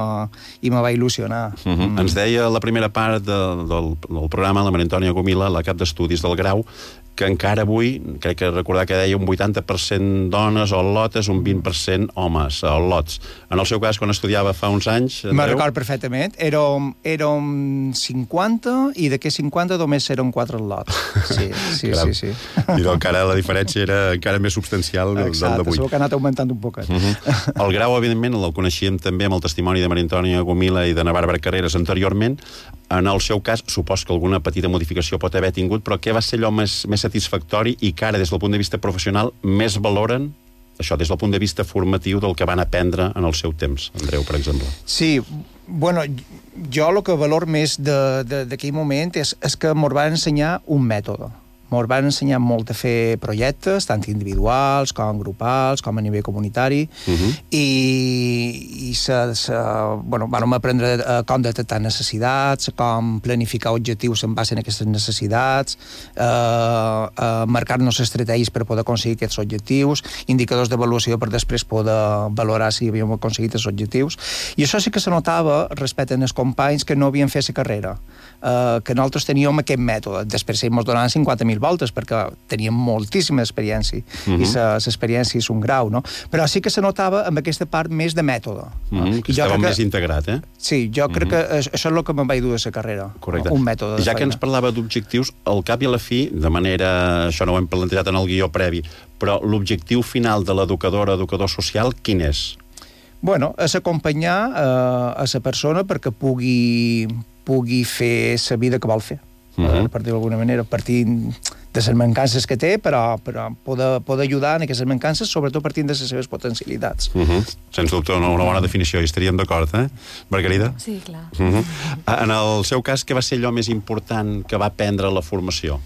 i me va il·lusionar. Uh-huh. Mm. Ens deia la primera part de, del, del programa, la Maria Antònia Gomila, la cap d'estudis del grau, que encara avui, crec que recordar que deia un vuitanta per cent dones o lotes, un vint per cent homes o lots. En el seu cas, quan estudiava fa uns anys... Me record perfectament. Érem, érem cinquanta i d'aquests cinquanta només eren quatre lots. Sí, sí, sí, sí. I doncs encara la diferència era encara més substancial del d'avui. Exacte, segur que ha anat augmentant un poquet. Uh-huh. El grau, evidentment, el coneixíem també amb el testimoni de Maria Antònia Gomila i de na Bàrbara Carreras anteriorment. En el seu cas, supos que alguna petita modificació pot haver tingut, però què va ser allò més, més satisfactori i que ara, des del punt de vista professional, més valoren, això, des del punt de vista formatiu del que van aprendre en el seu temps? Andreu, per exemple. Sí, bueno, jo el que valor més d'aquell moment és, és que m'ho van ensenyar un mètode. M'ho van ensenyar molt a fer projectes, tant individuals com grupals, com a nivell comunitari, uh-huh. i, i se, se, bueno, vam aprendre com detectar necessitats, com planificar objectius en base a aquestes necessitats, eh, eh, marcar-nos estratègies per poder aconseguir aquests objectius, indicadors d'avaluació per després poder valorar si havíem aconseguit els objectius. I això sí que se notava respecte als companys que no havien fet la carrera, eh, que nosaltres teníem aquest mètode. Després ens donaven cinquanta mil voltes perquè teníem moltíssima experiència, uh-huh. i l'experiència és un grau, no? Però sí que se notava amb aquesta part més de mètode. Uh-huh. Que estava més que... integrat, eh? Sí, jo uh-huh. crec que això és el que me'n vaig dur de la carrera. Correcte. Un mètode de ja feina. Que ens parlava d'objectius, al cap i a la fi, de manera... això no ho hem plantejat en el guió previ, però l'objectiu final de l'educadora, educador social, quin és? Bueno, és acompanyar eh, a la persona perquè pugui, pugui fer la vida que vol fer. Uh-huh. Per dir-ho d'alguna manera, partint de les mancances que té, però, però poder, poder ajudar en aquestes mancances, sobretot partint de les seves potencialitats. Uh-huh. Sens dubte, una, una bona definició, i estaríem d'acord, eh? Margarida? Sí, clar. Uh-huh. En el seu cas, què va ser allò més important que va aprendre la formació?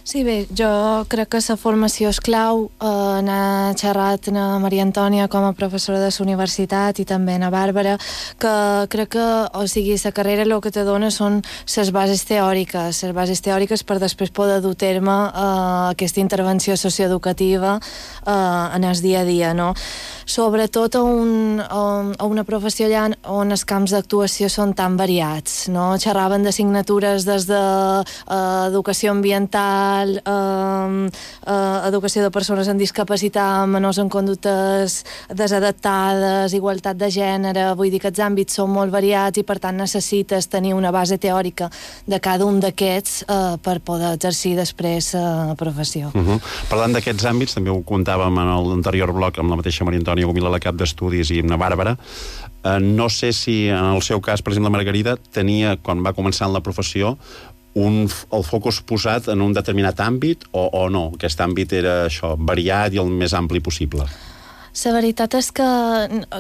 Sí, bé, jo crec que la formació és clau. Eh, n'ha xerrat na Maria Antònia com a professora de la universitat i també na Bàrbara, que crec que, o sigui, la carrera el que te dona són les bases teòriques, les bases teòriques per després poder dur terme eh, aquesta intervenció socioeducativa eh, en el dia a dia, no? Sobretot a, un, a una professió allà on els camps d'actuació són tan variats, no? Xerraven d'assignatures des de eh, educació ambiental, eh, eh, educació de persones amb discapacitat, menors en conductes desadaptades, igualtat de gènere, vull dir que els àmbits són molt variats i per tant necessites tenir una base teòrica de cada un d'aquests eh, per poder exercir després la eh, professió. Uh-huh. Parlant d'aquests àmbits, també ho contàvem en l'anterior bloc amb la mateixa Maria Antònia Gomila, la cap d'estudis, i amb na Bàrbara. Eh, no sé si en el seu cas, per exemple, la Margarida tenia, quan va començar en la professió, un, el focus posat en un determinat àmbit o, o no? Aquest àmbit era això, variat i el més ampli possible? La veritat és que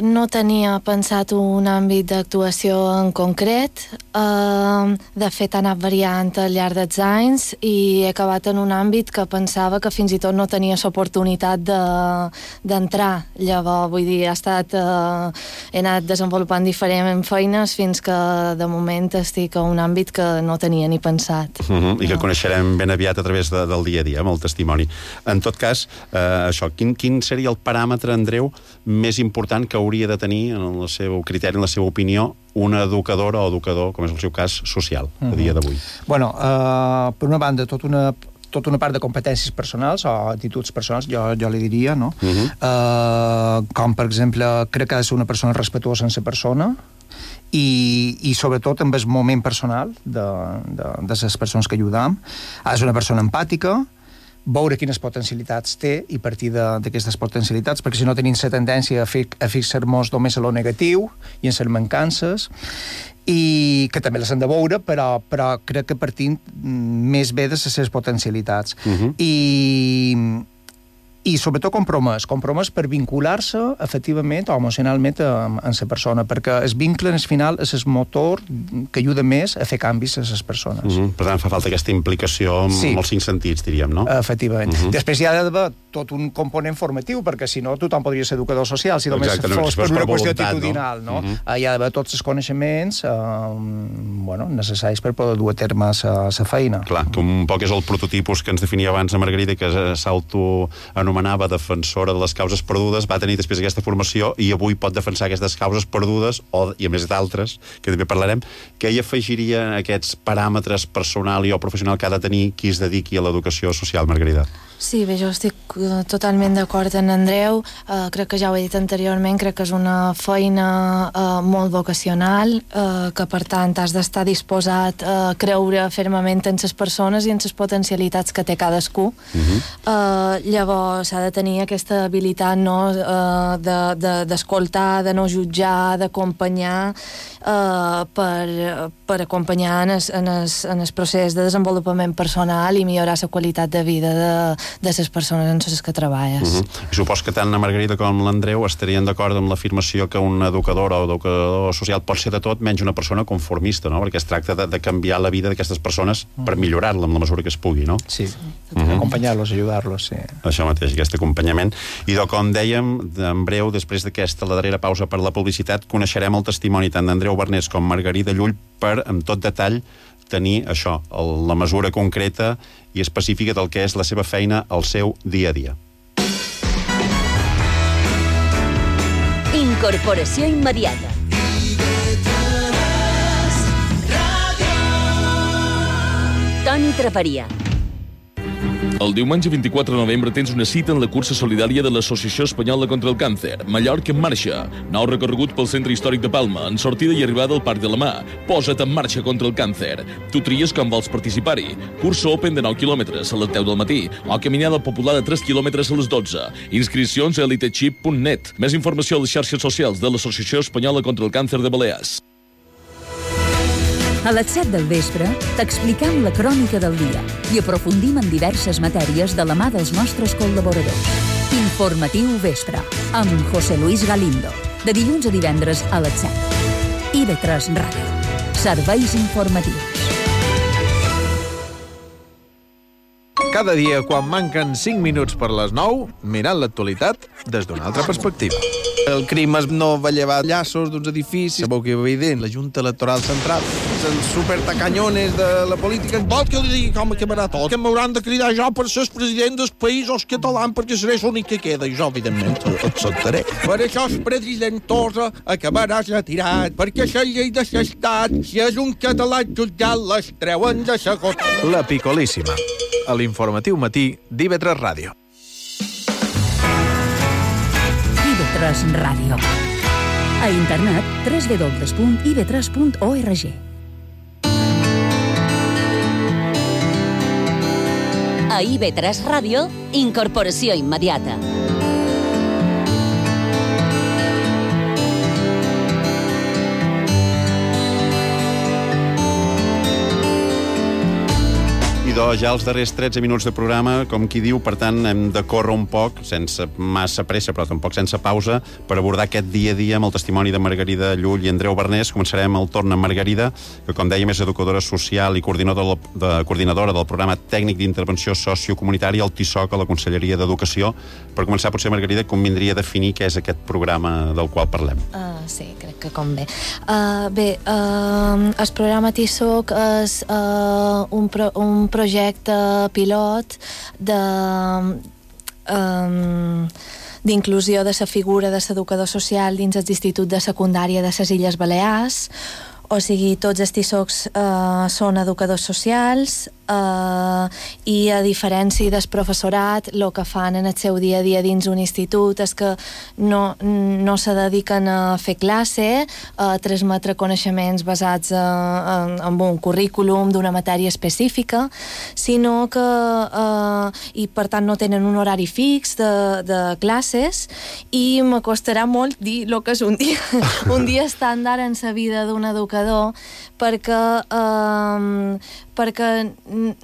no tenia pensat un àmbit d'actuació en concret. Uh, de fet, ha anat variant al llarg dels anys i he acabat en un àmbit que pensava que fins i tot no tenia l'oportunitat d'entrar. De, Llavors, vull dir, ha estat, uh, he anat desenvolupant diferents feines fins que de moment estic a un àmbit que no tenia ni pensat. Uh-huh. I que coneixerem ben aviat a través de, del dia a dia, amb el testimoni. En tot cas, eh, això, quin, quin seria el paràmetre, Andreu, més important que hauria de tenir, en el seu criteri, en la seva opinió, una educadora o educador, com és el seu cas, social, a dia d'avui? Bueno, uh, per una banda, tot una tota una part de competències personals o actituds personals, jo, jo li diria, no? Uh-huh. Uh, com, per exemple, crec que ha de ser una persona respetuosa en la persona i, i sobretot amb el moment personal de, de, de les persones que ajudam. Ha de ser una persona empàtica, veure quines potencialitats té i partir d'aquestes potencialitats, perquè si no tenim la tendència a, fi, a fixar-nos només a lo negatiu i en les mancances, i que també les hem de veure, però, però crec que partint més bé de les seves potencialitats. Uh-huh. I... i sobretot compromès, compromès per vincular-se efectivament o emocionalment amb, amb la persona, perquè el vincle en el final és el motor que ajuda més a fer canvis a les persones. Mm-hmm. Per tant, fa falta aquesta implicació amb sí. els cinc sentits, diríem, no? Efectivament. Mm-hmm. Després hi ha d'haver tot un component formatiu, perquè si no tothom podria ser educador social, si només Exacte, fos per una per qüestió actitudinal, no? no? Mm-hmm. Hi ha d'haver tots els coneixements eh, bueno, necessaris per poder dur a terme la feina. Clar, que un poc és el prototipus que ens definia abans a Margarida, que s'autoanomenava anomenava defensora de les causes perdudes, va tenir després aquesta formació i avui pot defensar aquestes causes perdudes, o, i a més d'altres, que també parlarem. Què hi afegiria aquests paràmetres personal i o professional que ha de tenir qui es dediqui a l'educació social, Margarida? Sí, bé, jo estic totalment d'acord amb Andreu. Uh, crec que ja ho he dit anteriorment, crec que és una feina uh, molt vocacional, uh, que per tant has d'estar disposat a creure fermament en les persones i en les potencialitats que té cadascú. Uh-huh. uh, llavors s'ha de tenir aquesta habilitat, no, uh, d'escoltar, de, de, de no jutjar, d'acompanyar, uh, per, per acompanyar en el, en, el, en el procés de desenvolupament personal i millorar la qualitat de vida de de les persones en les que treballes. Uh-huh. I supos que tant la Margarida com l'Andreu estarien d'acord amb l'afirmació que un educador o educador social pot ser de tot menys una persona conformista, no? Perquè es tracta de, de canviar la vida d'aquestes persones uh-huh. per millorar-la en la mesura que es pugui, no? Sí, uh-huh. acompanyar-los, ajudar-los, sí. Això mateix, aquest acompanyament. I de, com dèiem, en breu, després d'aquesta, la darrera pausa per la publicitat, coneixerem el testimoni tant d'Andreu Bernés com Margarida Llull per, amb tot detall, tenir això, el, la mesura concreta i específica del que és la seva feina al seu dia a dia. Incorporació immediata. Toni Traperia. El diumenge vint-i-quatre de novembre tens una cita en la cursa solidària de l'Associació Espanyola contra el Càncer, Mallorca en marxa. Nou recorregut pel centre històric de Palma, en sortida i arribada al Parc de la Mà. Posa't en marxa contra el càncer. Tu tries com vols participar-hi. Cursa open de nou quilòmetres a les deu del matí o caminada popular de tres quilòmetres a les dotze. Inscripcions a elitechip punt net. Més informació a les xarxes socials de l'Associació Espanyola contra el Càncer de Balears. A les set del vespre t'explicam la crònica del dia i aprofundim en diverses matèries de la mà dels nostres col·laboradors. Informatiu Vespre, amb José Luis Galindo, de dilluns a divendres a les set. I ve tres Ràdio. Serveis informatius. Cada dia, quan manquen cinc minuts per les nou, mirant l'actualitat des d'una altra perspectiva. El crim no va llevar llaços d'uns edificis. Sabeu que evident, la Junta Electoral Central, els supertacanyones de la política. Vol que li digui com acabarà tot? Que m'hauran de cridar jo per ser president dels països catalans perquè seré l'únic que queda. I jo, evidentment, acceptaré. Per això el president Torra acabarà retirat, perquè la llei de l'estat, si és un català jutjat, les treuen de segon. La Picolíssima, a l'informatiu matí d'I V tres Ràdio. I V tres Ràdio. A internet, w w w punt i v tres punt org. A I V tres Ràdio, incorporació immediata. Això, ja els darrers tretze minuts de programa, com qui diu, per tant, hem de córrer un poc, sense massa pressa, però tampoc sense pausa, per abordar aquest dia a dia amb el testimoni de Margarida Llull i Andreu Bernés. Començarem el torn amb Margarida, que, com dèiem, és educadora social i coordinadora, de, coordinadora del programa tècnic d'intervenció sociocomunitària, el T I S O C, a la Conselleria d'Educació. Per començar, potser, Margarida, convindria definir què és aquest programa del qual parlem. Uh, sí, crec que convé. Uh, bé, uh, el programa T I S O C és uh, un, pro, un projecte pilot de um, d'inclusió de la figura de l'educador social dins l'Institut de Secundària de les Illes Balears. O sigui, tots els T I S O Cs uh, són educadors socials uh, i, a diferència del professorat, el que fan en el seu dia a dia dins un institut és que no, no se dediquen a fer classe, a transmetre coneixements basats uh, en, en un currículum d'una matèria específica, sinó que uh, i per tant no tenen un horari fix de, de classes, i m'acostarà molt dir el que és un dia, un dia estàndard en la vida d'un educador, perquè um, perquè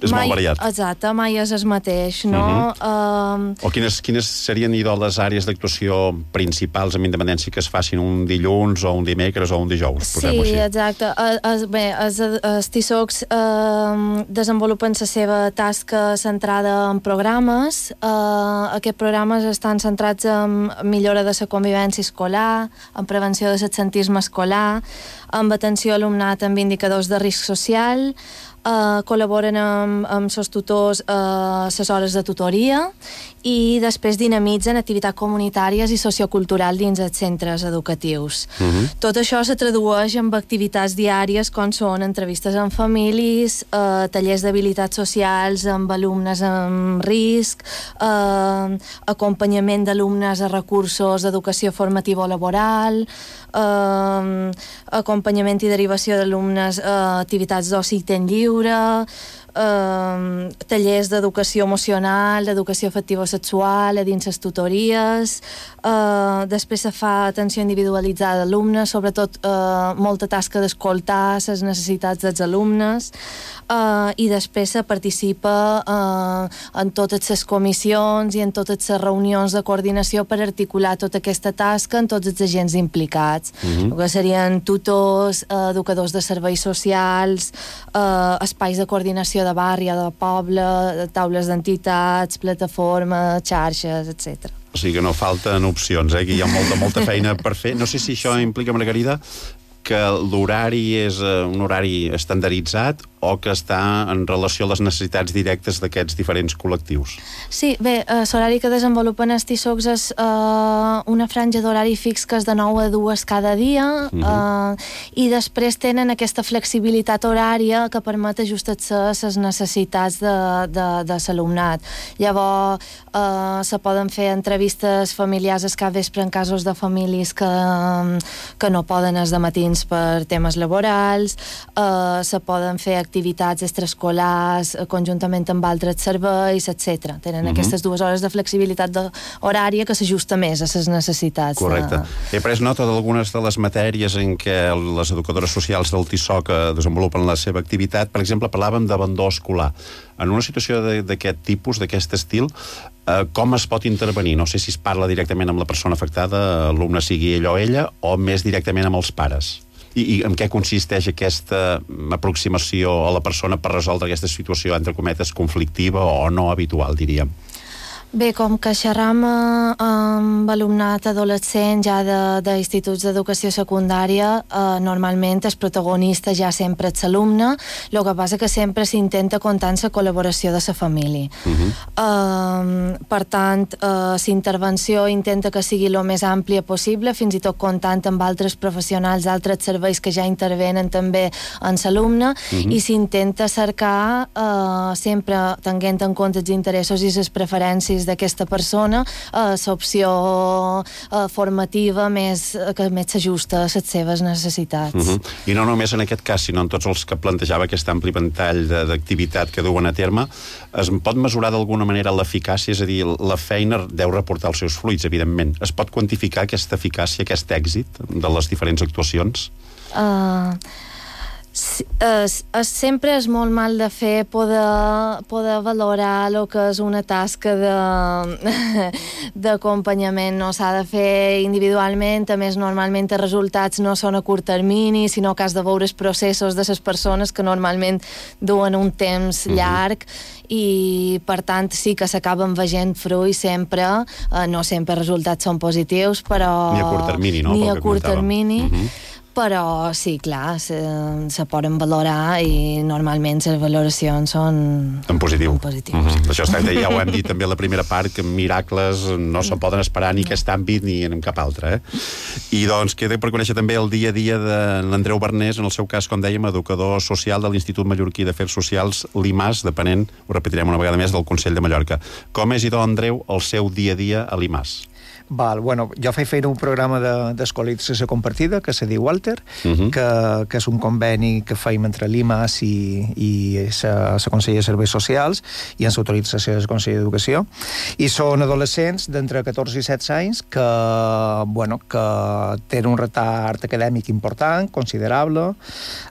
és mai, molt variat. Exacte, mai és el mateix, no? Uh-huh. um, o quines, quines serien idò les àrees d'actuació principals amb independència que es facin un dilluns o un dimecres o un dijous? Sí, exacte. Es, es, bé, els, els T I S O Cs uh, desenvolupen la seva tasca centrada en programes. Uh, aquests programes estan centrats en millora de la convivència escolar, en prevenció de l'absentisme escolar, amb atenció a alumnat amb indicadors de risc social, uh, col·laboren amb, amb els tutors a uh, les hores de tutoria, i després dinamitzen activitats comunitàries i socioculturals dins els centres educatius. Uh-huh. Tot això se tradueix en activitats diàries com són entrevistes amb famílies, eh, tallers d'habilitats socials amb alumnes amb risc, eh, acompanyament d'alumnes a recursos d'educació formativa o laboral, eh, acompanyament i derivació d'alumnes a activitats d'oci i temps lliure, Uh, tallers d'educació emocional, d'educació afectivo-sexual a dins les tutories. Uh, després se fa atenció individualitzada d'alumnes, sobretot uh, molta tasca d'escoltar les necessitats dels alumnes, uh, i després se participa uh, en totes les comissions i en totes les reunions de coordinació per articular tota aquesta tasca en tots els agents implicats, uh-huh. que serien tutors, uh, educadors de serveis socials, uh, espais de coordinació de barri, de poble, taules d'entitats, plataformes, xarxes, etcètera. O sigui que no falten opcions, eh? Que hi ha molta, molta feina per fer. No sé si això implica, Margarida, que l'horari és un horari estandarditzat o que està en relació a les necessitats directes d'aquests diferents col·lectius? Sí, bé, eh, l'horari que desenvolupen els T I S O Cs és eh, una franja d'horari fix que és de nou a dues cada dia, uh-huh. eh, i després tenen aquesta flexibilitat horària que permet ajustar-se a les necessitats de, de, de l'alumnat. Llavors, eh, se poden fer entrevistes familiars al capvespre en casos de famílies que, que no poden els dematins per temes laborals, eh, se poden fer activitats extraescolars conjuntament amb altres serveis, etcètera. Tenen uh-huh. aquestes dues hores de flexibilitat horària que s'ajusta més a les necessitats. Correcte. De... He pres nota d'algunes de les matèries en què les educadores socials del T I S O C desenvolupen la seva activitat. Per exemple, parlàvem d'abandó escolar. En una situació d'aquest tipus, d'aquest estil, eh, com es pot intervenir? No sé si es parla directament amb la persona afectada, l'alumne sigui ell o ella, o més directament amb els pares. I, i en què consisteix aquesta aproximació a la persona per resoldre aquesta situació, entre cometes, conflictiva o no habitual, diríem? Bé, com que xerram amb alumnat adolescent ja d'instituts d'educació secundària, eh, normalment el protagonista ja sempre és l'alumne, el que passa que sempre s'intenta comptar amb la col·laboració de la família. Uh-huh. eh, per tant, eh, la intervenció intenta que sigui el més àmplia possible, fins i tot comptant amb altres professionals, altres serveis que ja intervenen també en l'alumne, uh-huh. i s'intenta cercar, eh, sempre tenint en compte els interessos i les preferències d'aquesta persona, eh, l'opció eh, formativa més, que més s'ajusta a les seves necessitats. Uh-huh. I no només en aquest cas, sinó en tots els que plantejava aquest ampli ventall d'activitat que duen a terme, es pot mesurar d'alguna manera l'eficàcia? És a dir, la feina deu reportar els seus fruits, evidentment. Es pot quantificar aquesta eficàcia, aquest èxit de les diferents actuacions? Uh... Sí, Es, es, sempre és molt mal de fer poder, poder valorar el que és una tasca d'acompanyament, no s'ha de fer individualment, a més normalment els resultats no són a curt termini, sinó que has de veure els processos de les persones que normalment duen un temps uh-huh. llarg, i per tant sí que s'acaben veient fruits sempre, eh, no sempre els resultats són positius, però... Ni a curt termini, no? Ni a curt termini, uh-huh. però sí, clar, se, se poden valorar i normalment les valoracions són en positiu. En positiu. Mm-hmm. Això està, ja ho hem dit també a la primera part, que miracles no se'n poden esperar ni aquest àmbit ni en cap altre. Eh? I doncs queda per conèixer també el dia a dia de l'Andreu Bernés, en el seu cas, com dèiem, educador social de l'Institut Mallorquí d'Afers Socials, l'I M A S, depenent, ho repetirem una vegada més, del Consell de Mallorca. Com és, idò, Andreu, el seu dia a dia a l'I M A S? Val, bueno, jo faig feina un programa d'escolarització compartida que se diu Walter, uh-huh. que, que és un conveni que feim entre l'I M A S i, i la Conselleria de Serveis Socials i en l'autorització del Consell d'Educació, i són adolescents d'entre catorze i setze anys que, bueno, que tenen un retard acadèmic important, considerable,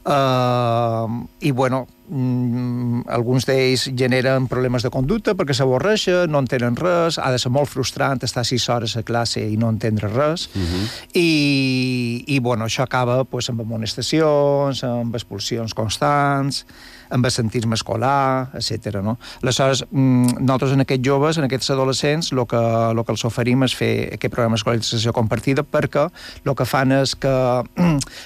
eh, i bueno, Mm, alguns d'ells generen problemes de conducta perquè s'avorreixen, no entenen res, ha de ser molt frustrant estar sis hores a classe i no entendre res, uh-huh. i, i bueno, això acaba pues, amb amonestacions, amb expulsions constants, amb assentisme escolar, etcètera. No? Aleshores, nosaltres en aquests joves, en aquests adolescents, el que, lo que els oferim és fer aquest programa d'escolarització compartida perquè el que fan és que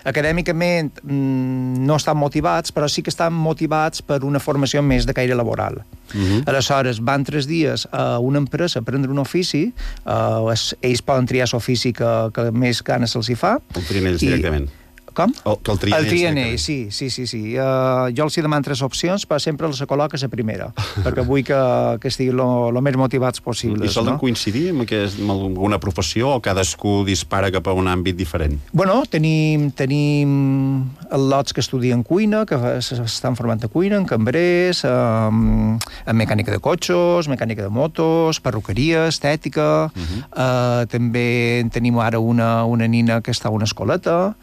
acadèmicament no estan motivats, però sí que estan motivats per una formació més de caire laboral. Uh-huh. Aleshores, van tres dies a una empresa a prendre un ofici, uh, ells poden triar l'ofici que, que més ganes se'ls hi fa. El trien ells directament. Com? El, que el trien el trien ells, sí, sí, sí. sí. Uh, jo els hi demano tres opcions, però sempre els col·loca la primera, perquè vull que, que estiguin el més motivats possibles. I solen no? coincidir amb, aquest, amb alguna professió o cadascú dispara cap a un àmbit diferent? Bueno, tenim, tenim lots que estudien cuina, que s'estan formant a cuina, en cambrers, um, en mecànica de cotxes, mecànica de motos, perruqueria, estètica, uh-huh. uh, també tenim ara una, una nina que està a una escoleta,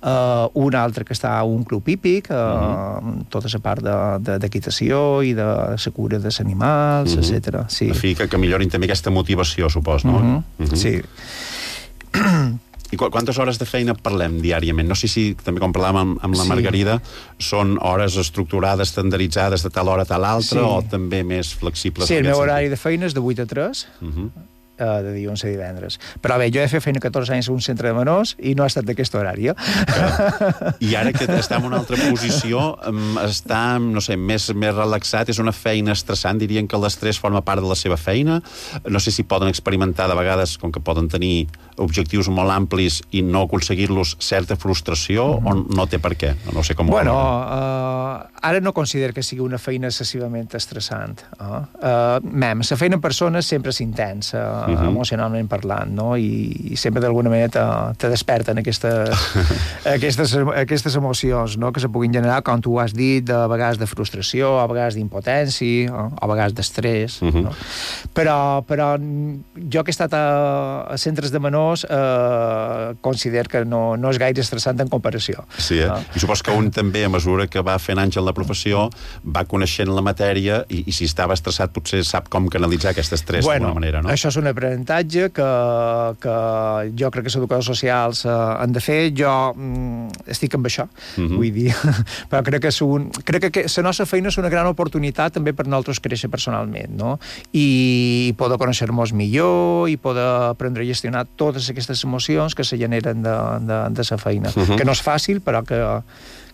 Uh, un altre que està a un club hípic, uh, uh-huh. tota la part d'equitació i de la cura dels animals, uh-huh. etcètera. Sí. En fi, que, que millorin també aquesta motivació, supos, no? Uh-huh. Uh-huh. Sí. I quantes hores de feina parlem diàriament? No sé si, també com parlàvem amb, amb la Margarida, sí. són hores estructurades, estandaritzades de tal hora a tal altra, sí. o també més flexibles? Sí, el meu horari de feina és de vuit a tres, uh-huh. de dilluns a divendres. Però bé, jo he fet feina catorze anys a un centre de menors i no ha estat d'aquest horari. Eh? I ara que està en una altra posició, està, no sé, més, més relaxat, és una feina estressant, dirien que l'estrès forma part de la seva feina. No sé si poden experimentar de vegades, com que poden tenir objectius molt amplis i no aconseguir-los, certa frustració, mm-hmm. o no té per què? No sé com bueno, uh, ara no considero que sigui una feina excessivament estressant. Uh, uh, mem, la feina en persona sempre és intensa, uh-huh. emocionalment parlant, no? I, i sempre d'alguna manera te, te desperten aquestes, aquestes, aquestes emocions, no? Que se puguin generar, com tu has dit, de vegades de frustració, a vegades d'impotència, uh, a vegades d'estrès. Uh-huh. No? Però, però jo que he estat a, a centres de menors eh, considero que no, no és gaire estressant en comparació. Sí, eh? Uh. I supos que un també, a mesura que va fent anys en la professió, va coneixent la matèria i, i si estava estressat potser sap com canalitzar aquest estrès bueno, d'alguna manera, no? Això és un aprenentatge que, que jo crec que els educadors socials eh, han de fer. Jo mm, estic amb això, uh-huh. vull dir, però crec que, és un, crec que la nostra feina és una gran oportunitat també per nosaltres créixer personalment, no? I poder conèixer-nos millor i poder aprendre a gestionar totes aquestes emocions que se generen de, de, de sa feina. Uh-huh. Que no és fàcil, però que,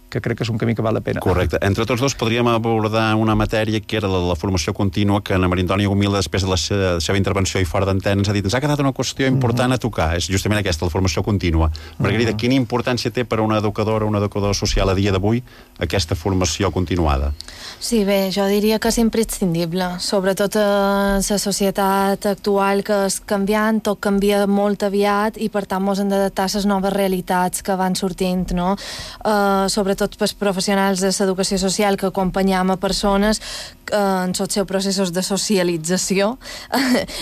que crec que és un camí que val la pena. Correcte. Entre tots dos podríem abordar una matèria que era la, la formació contínua, que Ana Maria Antònia Gomila, després de la seva, de seva intervenció i fora d'antena, ens ha dit ens ha quedat una qüestió important uh-huh. a tocar. És justament aquesta, la formació contínua. Margarida, uh-huh. quina importància té per a una educadora o un educador social a dia d'avui aquesta formació continuada? Sí, bé, jo diria que és imprescindible, sobretot en la societat actual que és canviant, tot canvia molt aviat i per tant mos hem d'adaptar a les noves realitats que van sortint, no? Uh, sobretot sobretot pels professionals de l'educació social que acompanyam a persones eh, en els seus processos de socialització,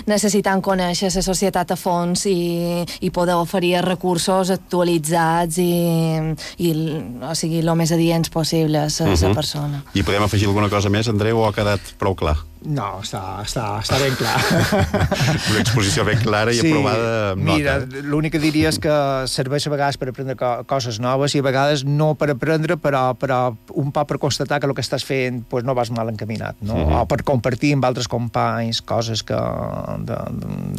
necessitant conèixer la societat a fons i, i poder oferir recursos actualitzats i, i o sigui, el més adients possible a la uh-huh. persona. I podem afegir alguna cosa més, Andreu, o ha quedat prou clar? No, està, està, està ben clar. Una exposició ben clara i sí, aprovada amb mira, nota. L'únic que diria és que serveix a vegades per aprendre co coses noves i a vegades no per aprendre, però, però un poc per constatar que el que estàs fent pues, no vas mal encaminat, no? Uh-huh. O per compartir amb altres companys coses que, de,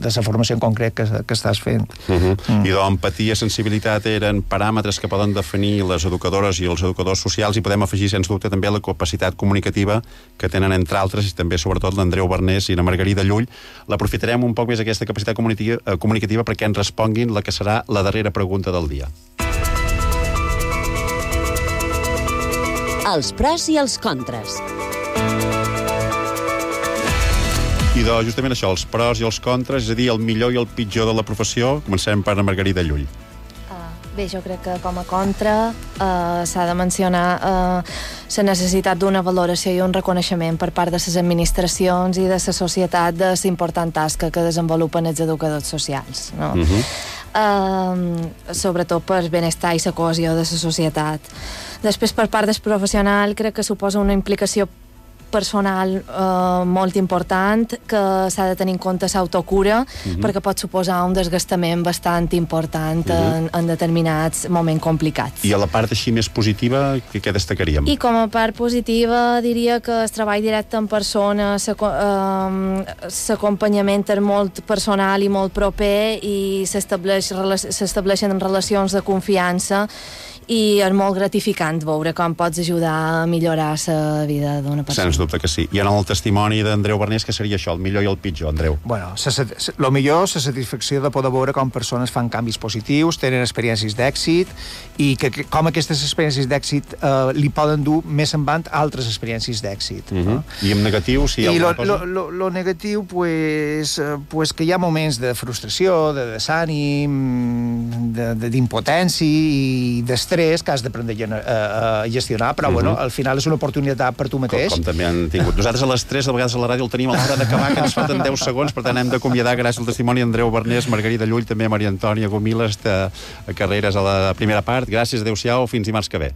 de la formació en concret que, que estàs fent. Uh-huh. mm. I d'empatia i sensibilitat eren paràmetres que poden definir les educadores i els educadors socials i podem afegir, sens dubte, també la capacitat comunicativa que tenen, entre altres, i també sobretot l'Andreu Barnés i la Margarida Llull. L'aprofitarem un poc més aquesta capacitat comunicativa, eh, comunicativa perquè ens responguin la que serà la darrera pregunta del dia. Els pros i els contres. I doncs, justament això, els pros i els contres, és a dir, el millor i el pitjor de la professió. Comencem per la Margarida Llull. Bé, jo crec que com a contra eh, s'ha de mencionar eh, la necessitat d'una valoració i un reconeixement per part de les administracions i de la societat de la important tasca que desenvolupen els educadors socials, no? Uh-huh. eh, sobretot per benestar i la cohesió de la societat. Després, per part del professional, crec que suposa una implicació personal eh, molt important que s'ha de tenir en compte l'autocura uh-huh. perquè pot suposar un desgastament bastant important uh-huh. en, en determinats moments complicats. I a la part així més positiva, què, què destacaríem? I com a part positiva diria que el treball directe en persona, l'acompanyament és molt personal i molt proper i s'estableixen relacions de confiança i és molt gratificant veure com pots ajudar a millorar la vida d'una persona. Sens dubte que sí. I en el testimoni d'Andreu Barnés, què seria això, el millor i el pitjor, Andreu? Bueno, el millor és la satisfacció de poder veure com persones fan canvis positius, tenen experiències d'èxit i que, que com aquestes experiències d'èxit eh, li poden dur més endavant altres experiències d'èxit. Uh-huh. no? I en negatiu, si hi ha I alguna lo, cosa? I lo, lo negatiu, pues, eh, pues que hi ha moments de frustració, de desànim, d'impotència i d'estrès que has d'aprendre a gestionar, però, uh-huh. bueno, al final és una oportunitat per tu mateix. Com, com també han tingut. Nosaltres a les tres, a vegades a la ràdio, el tenim a l'hora d'acabar, que ens falten deu segons, per tant hem d'acomiadar, gràcies al testimoni d'Andreu Barnés, Margarida Llull, també a Maria Antònia Gomiles, de Carreres a la primera part. Gràcies, adeu-siau, fins dimarts que ve.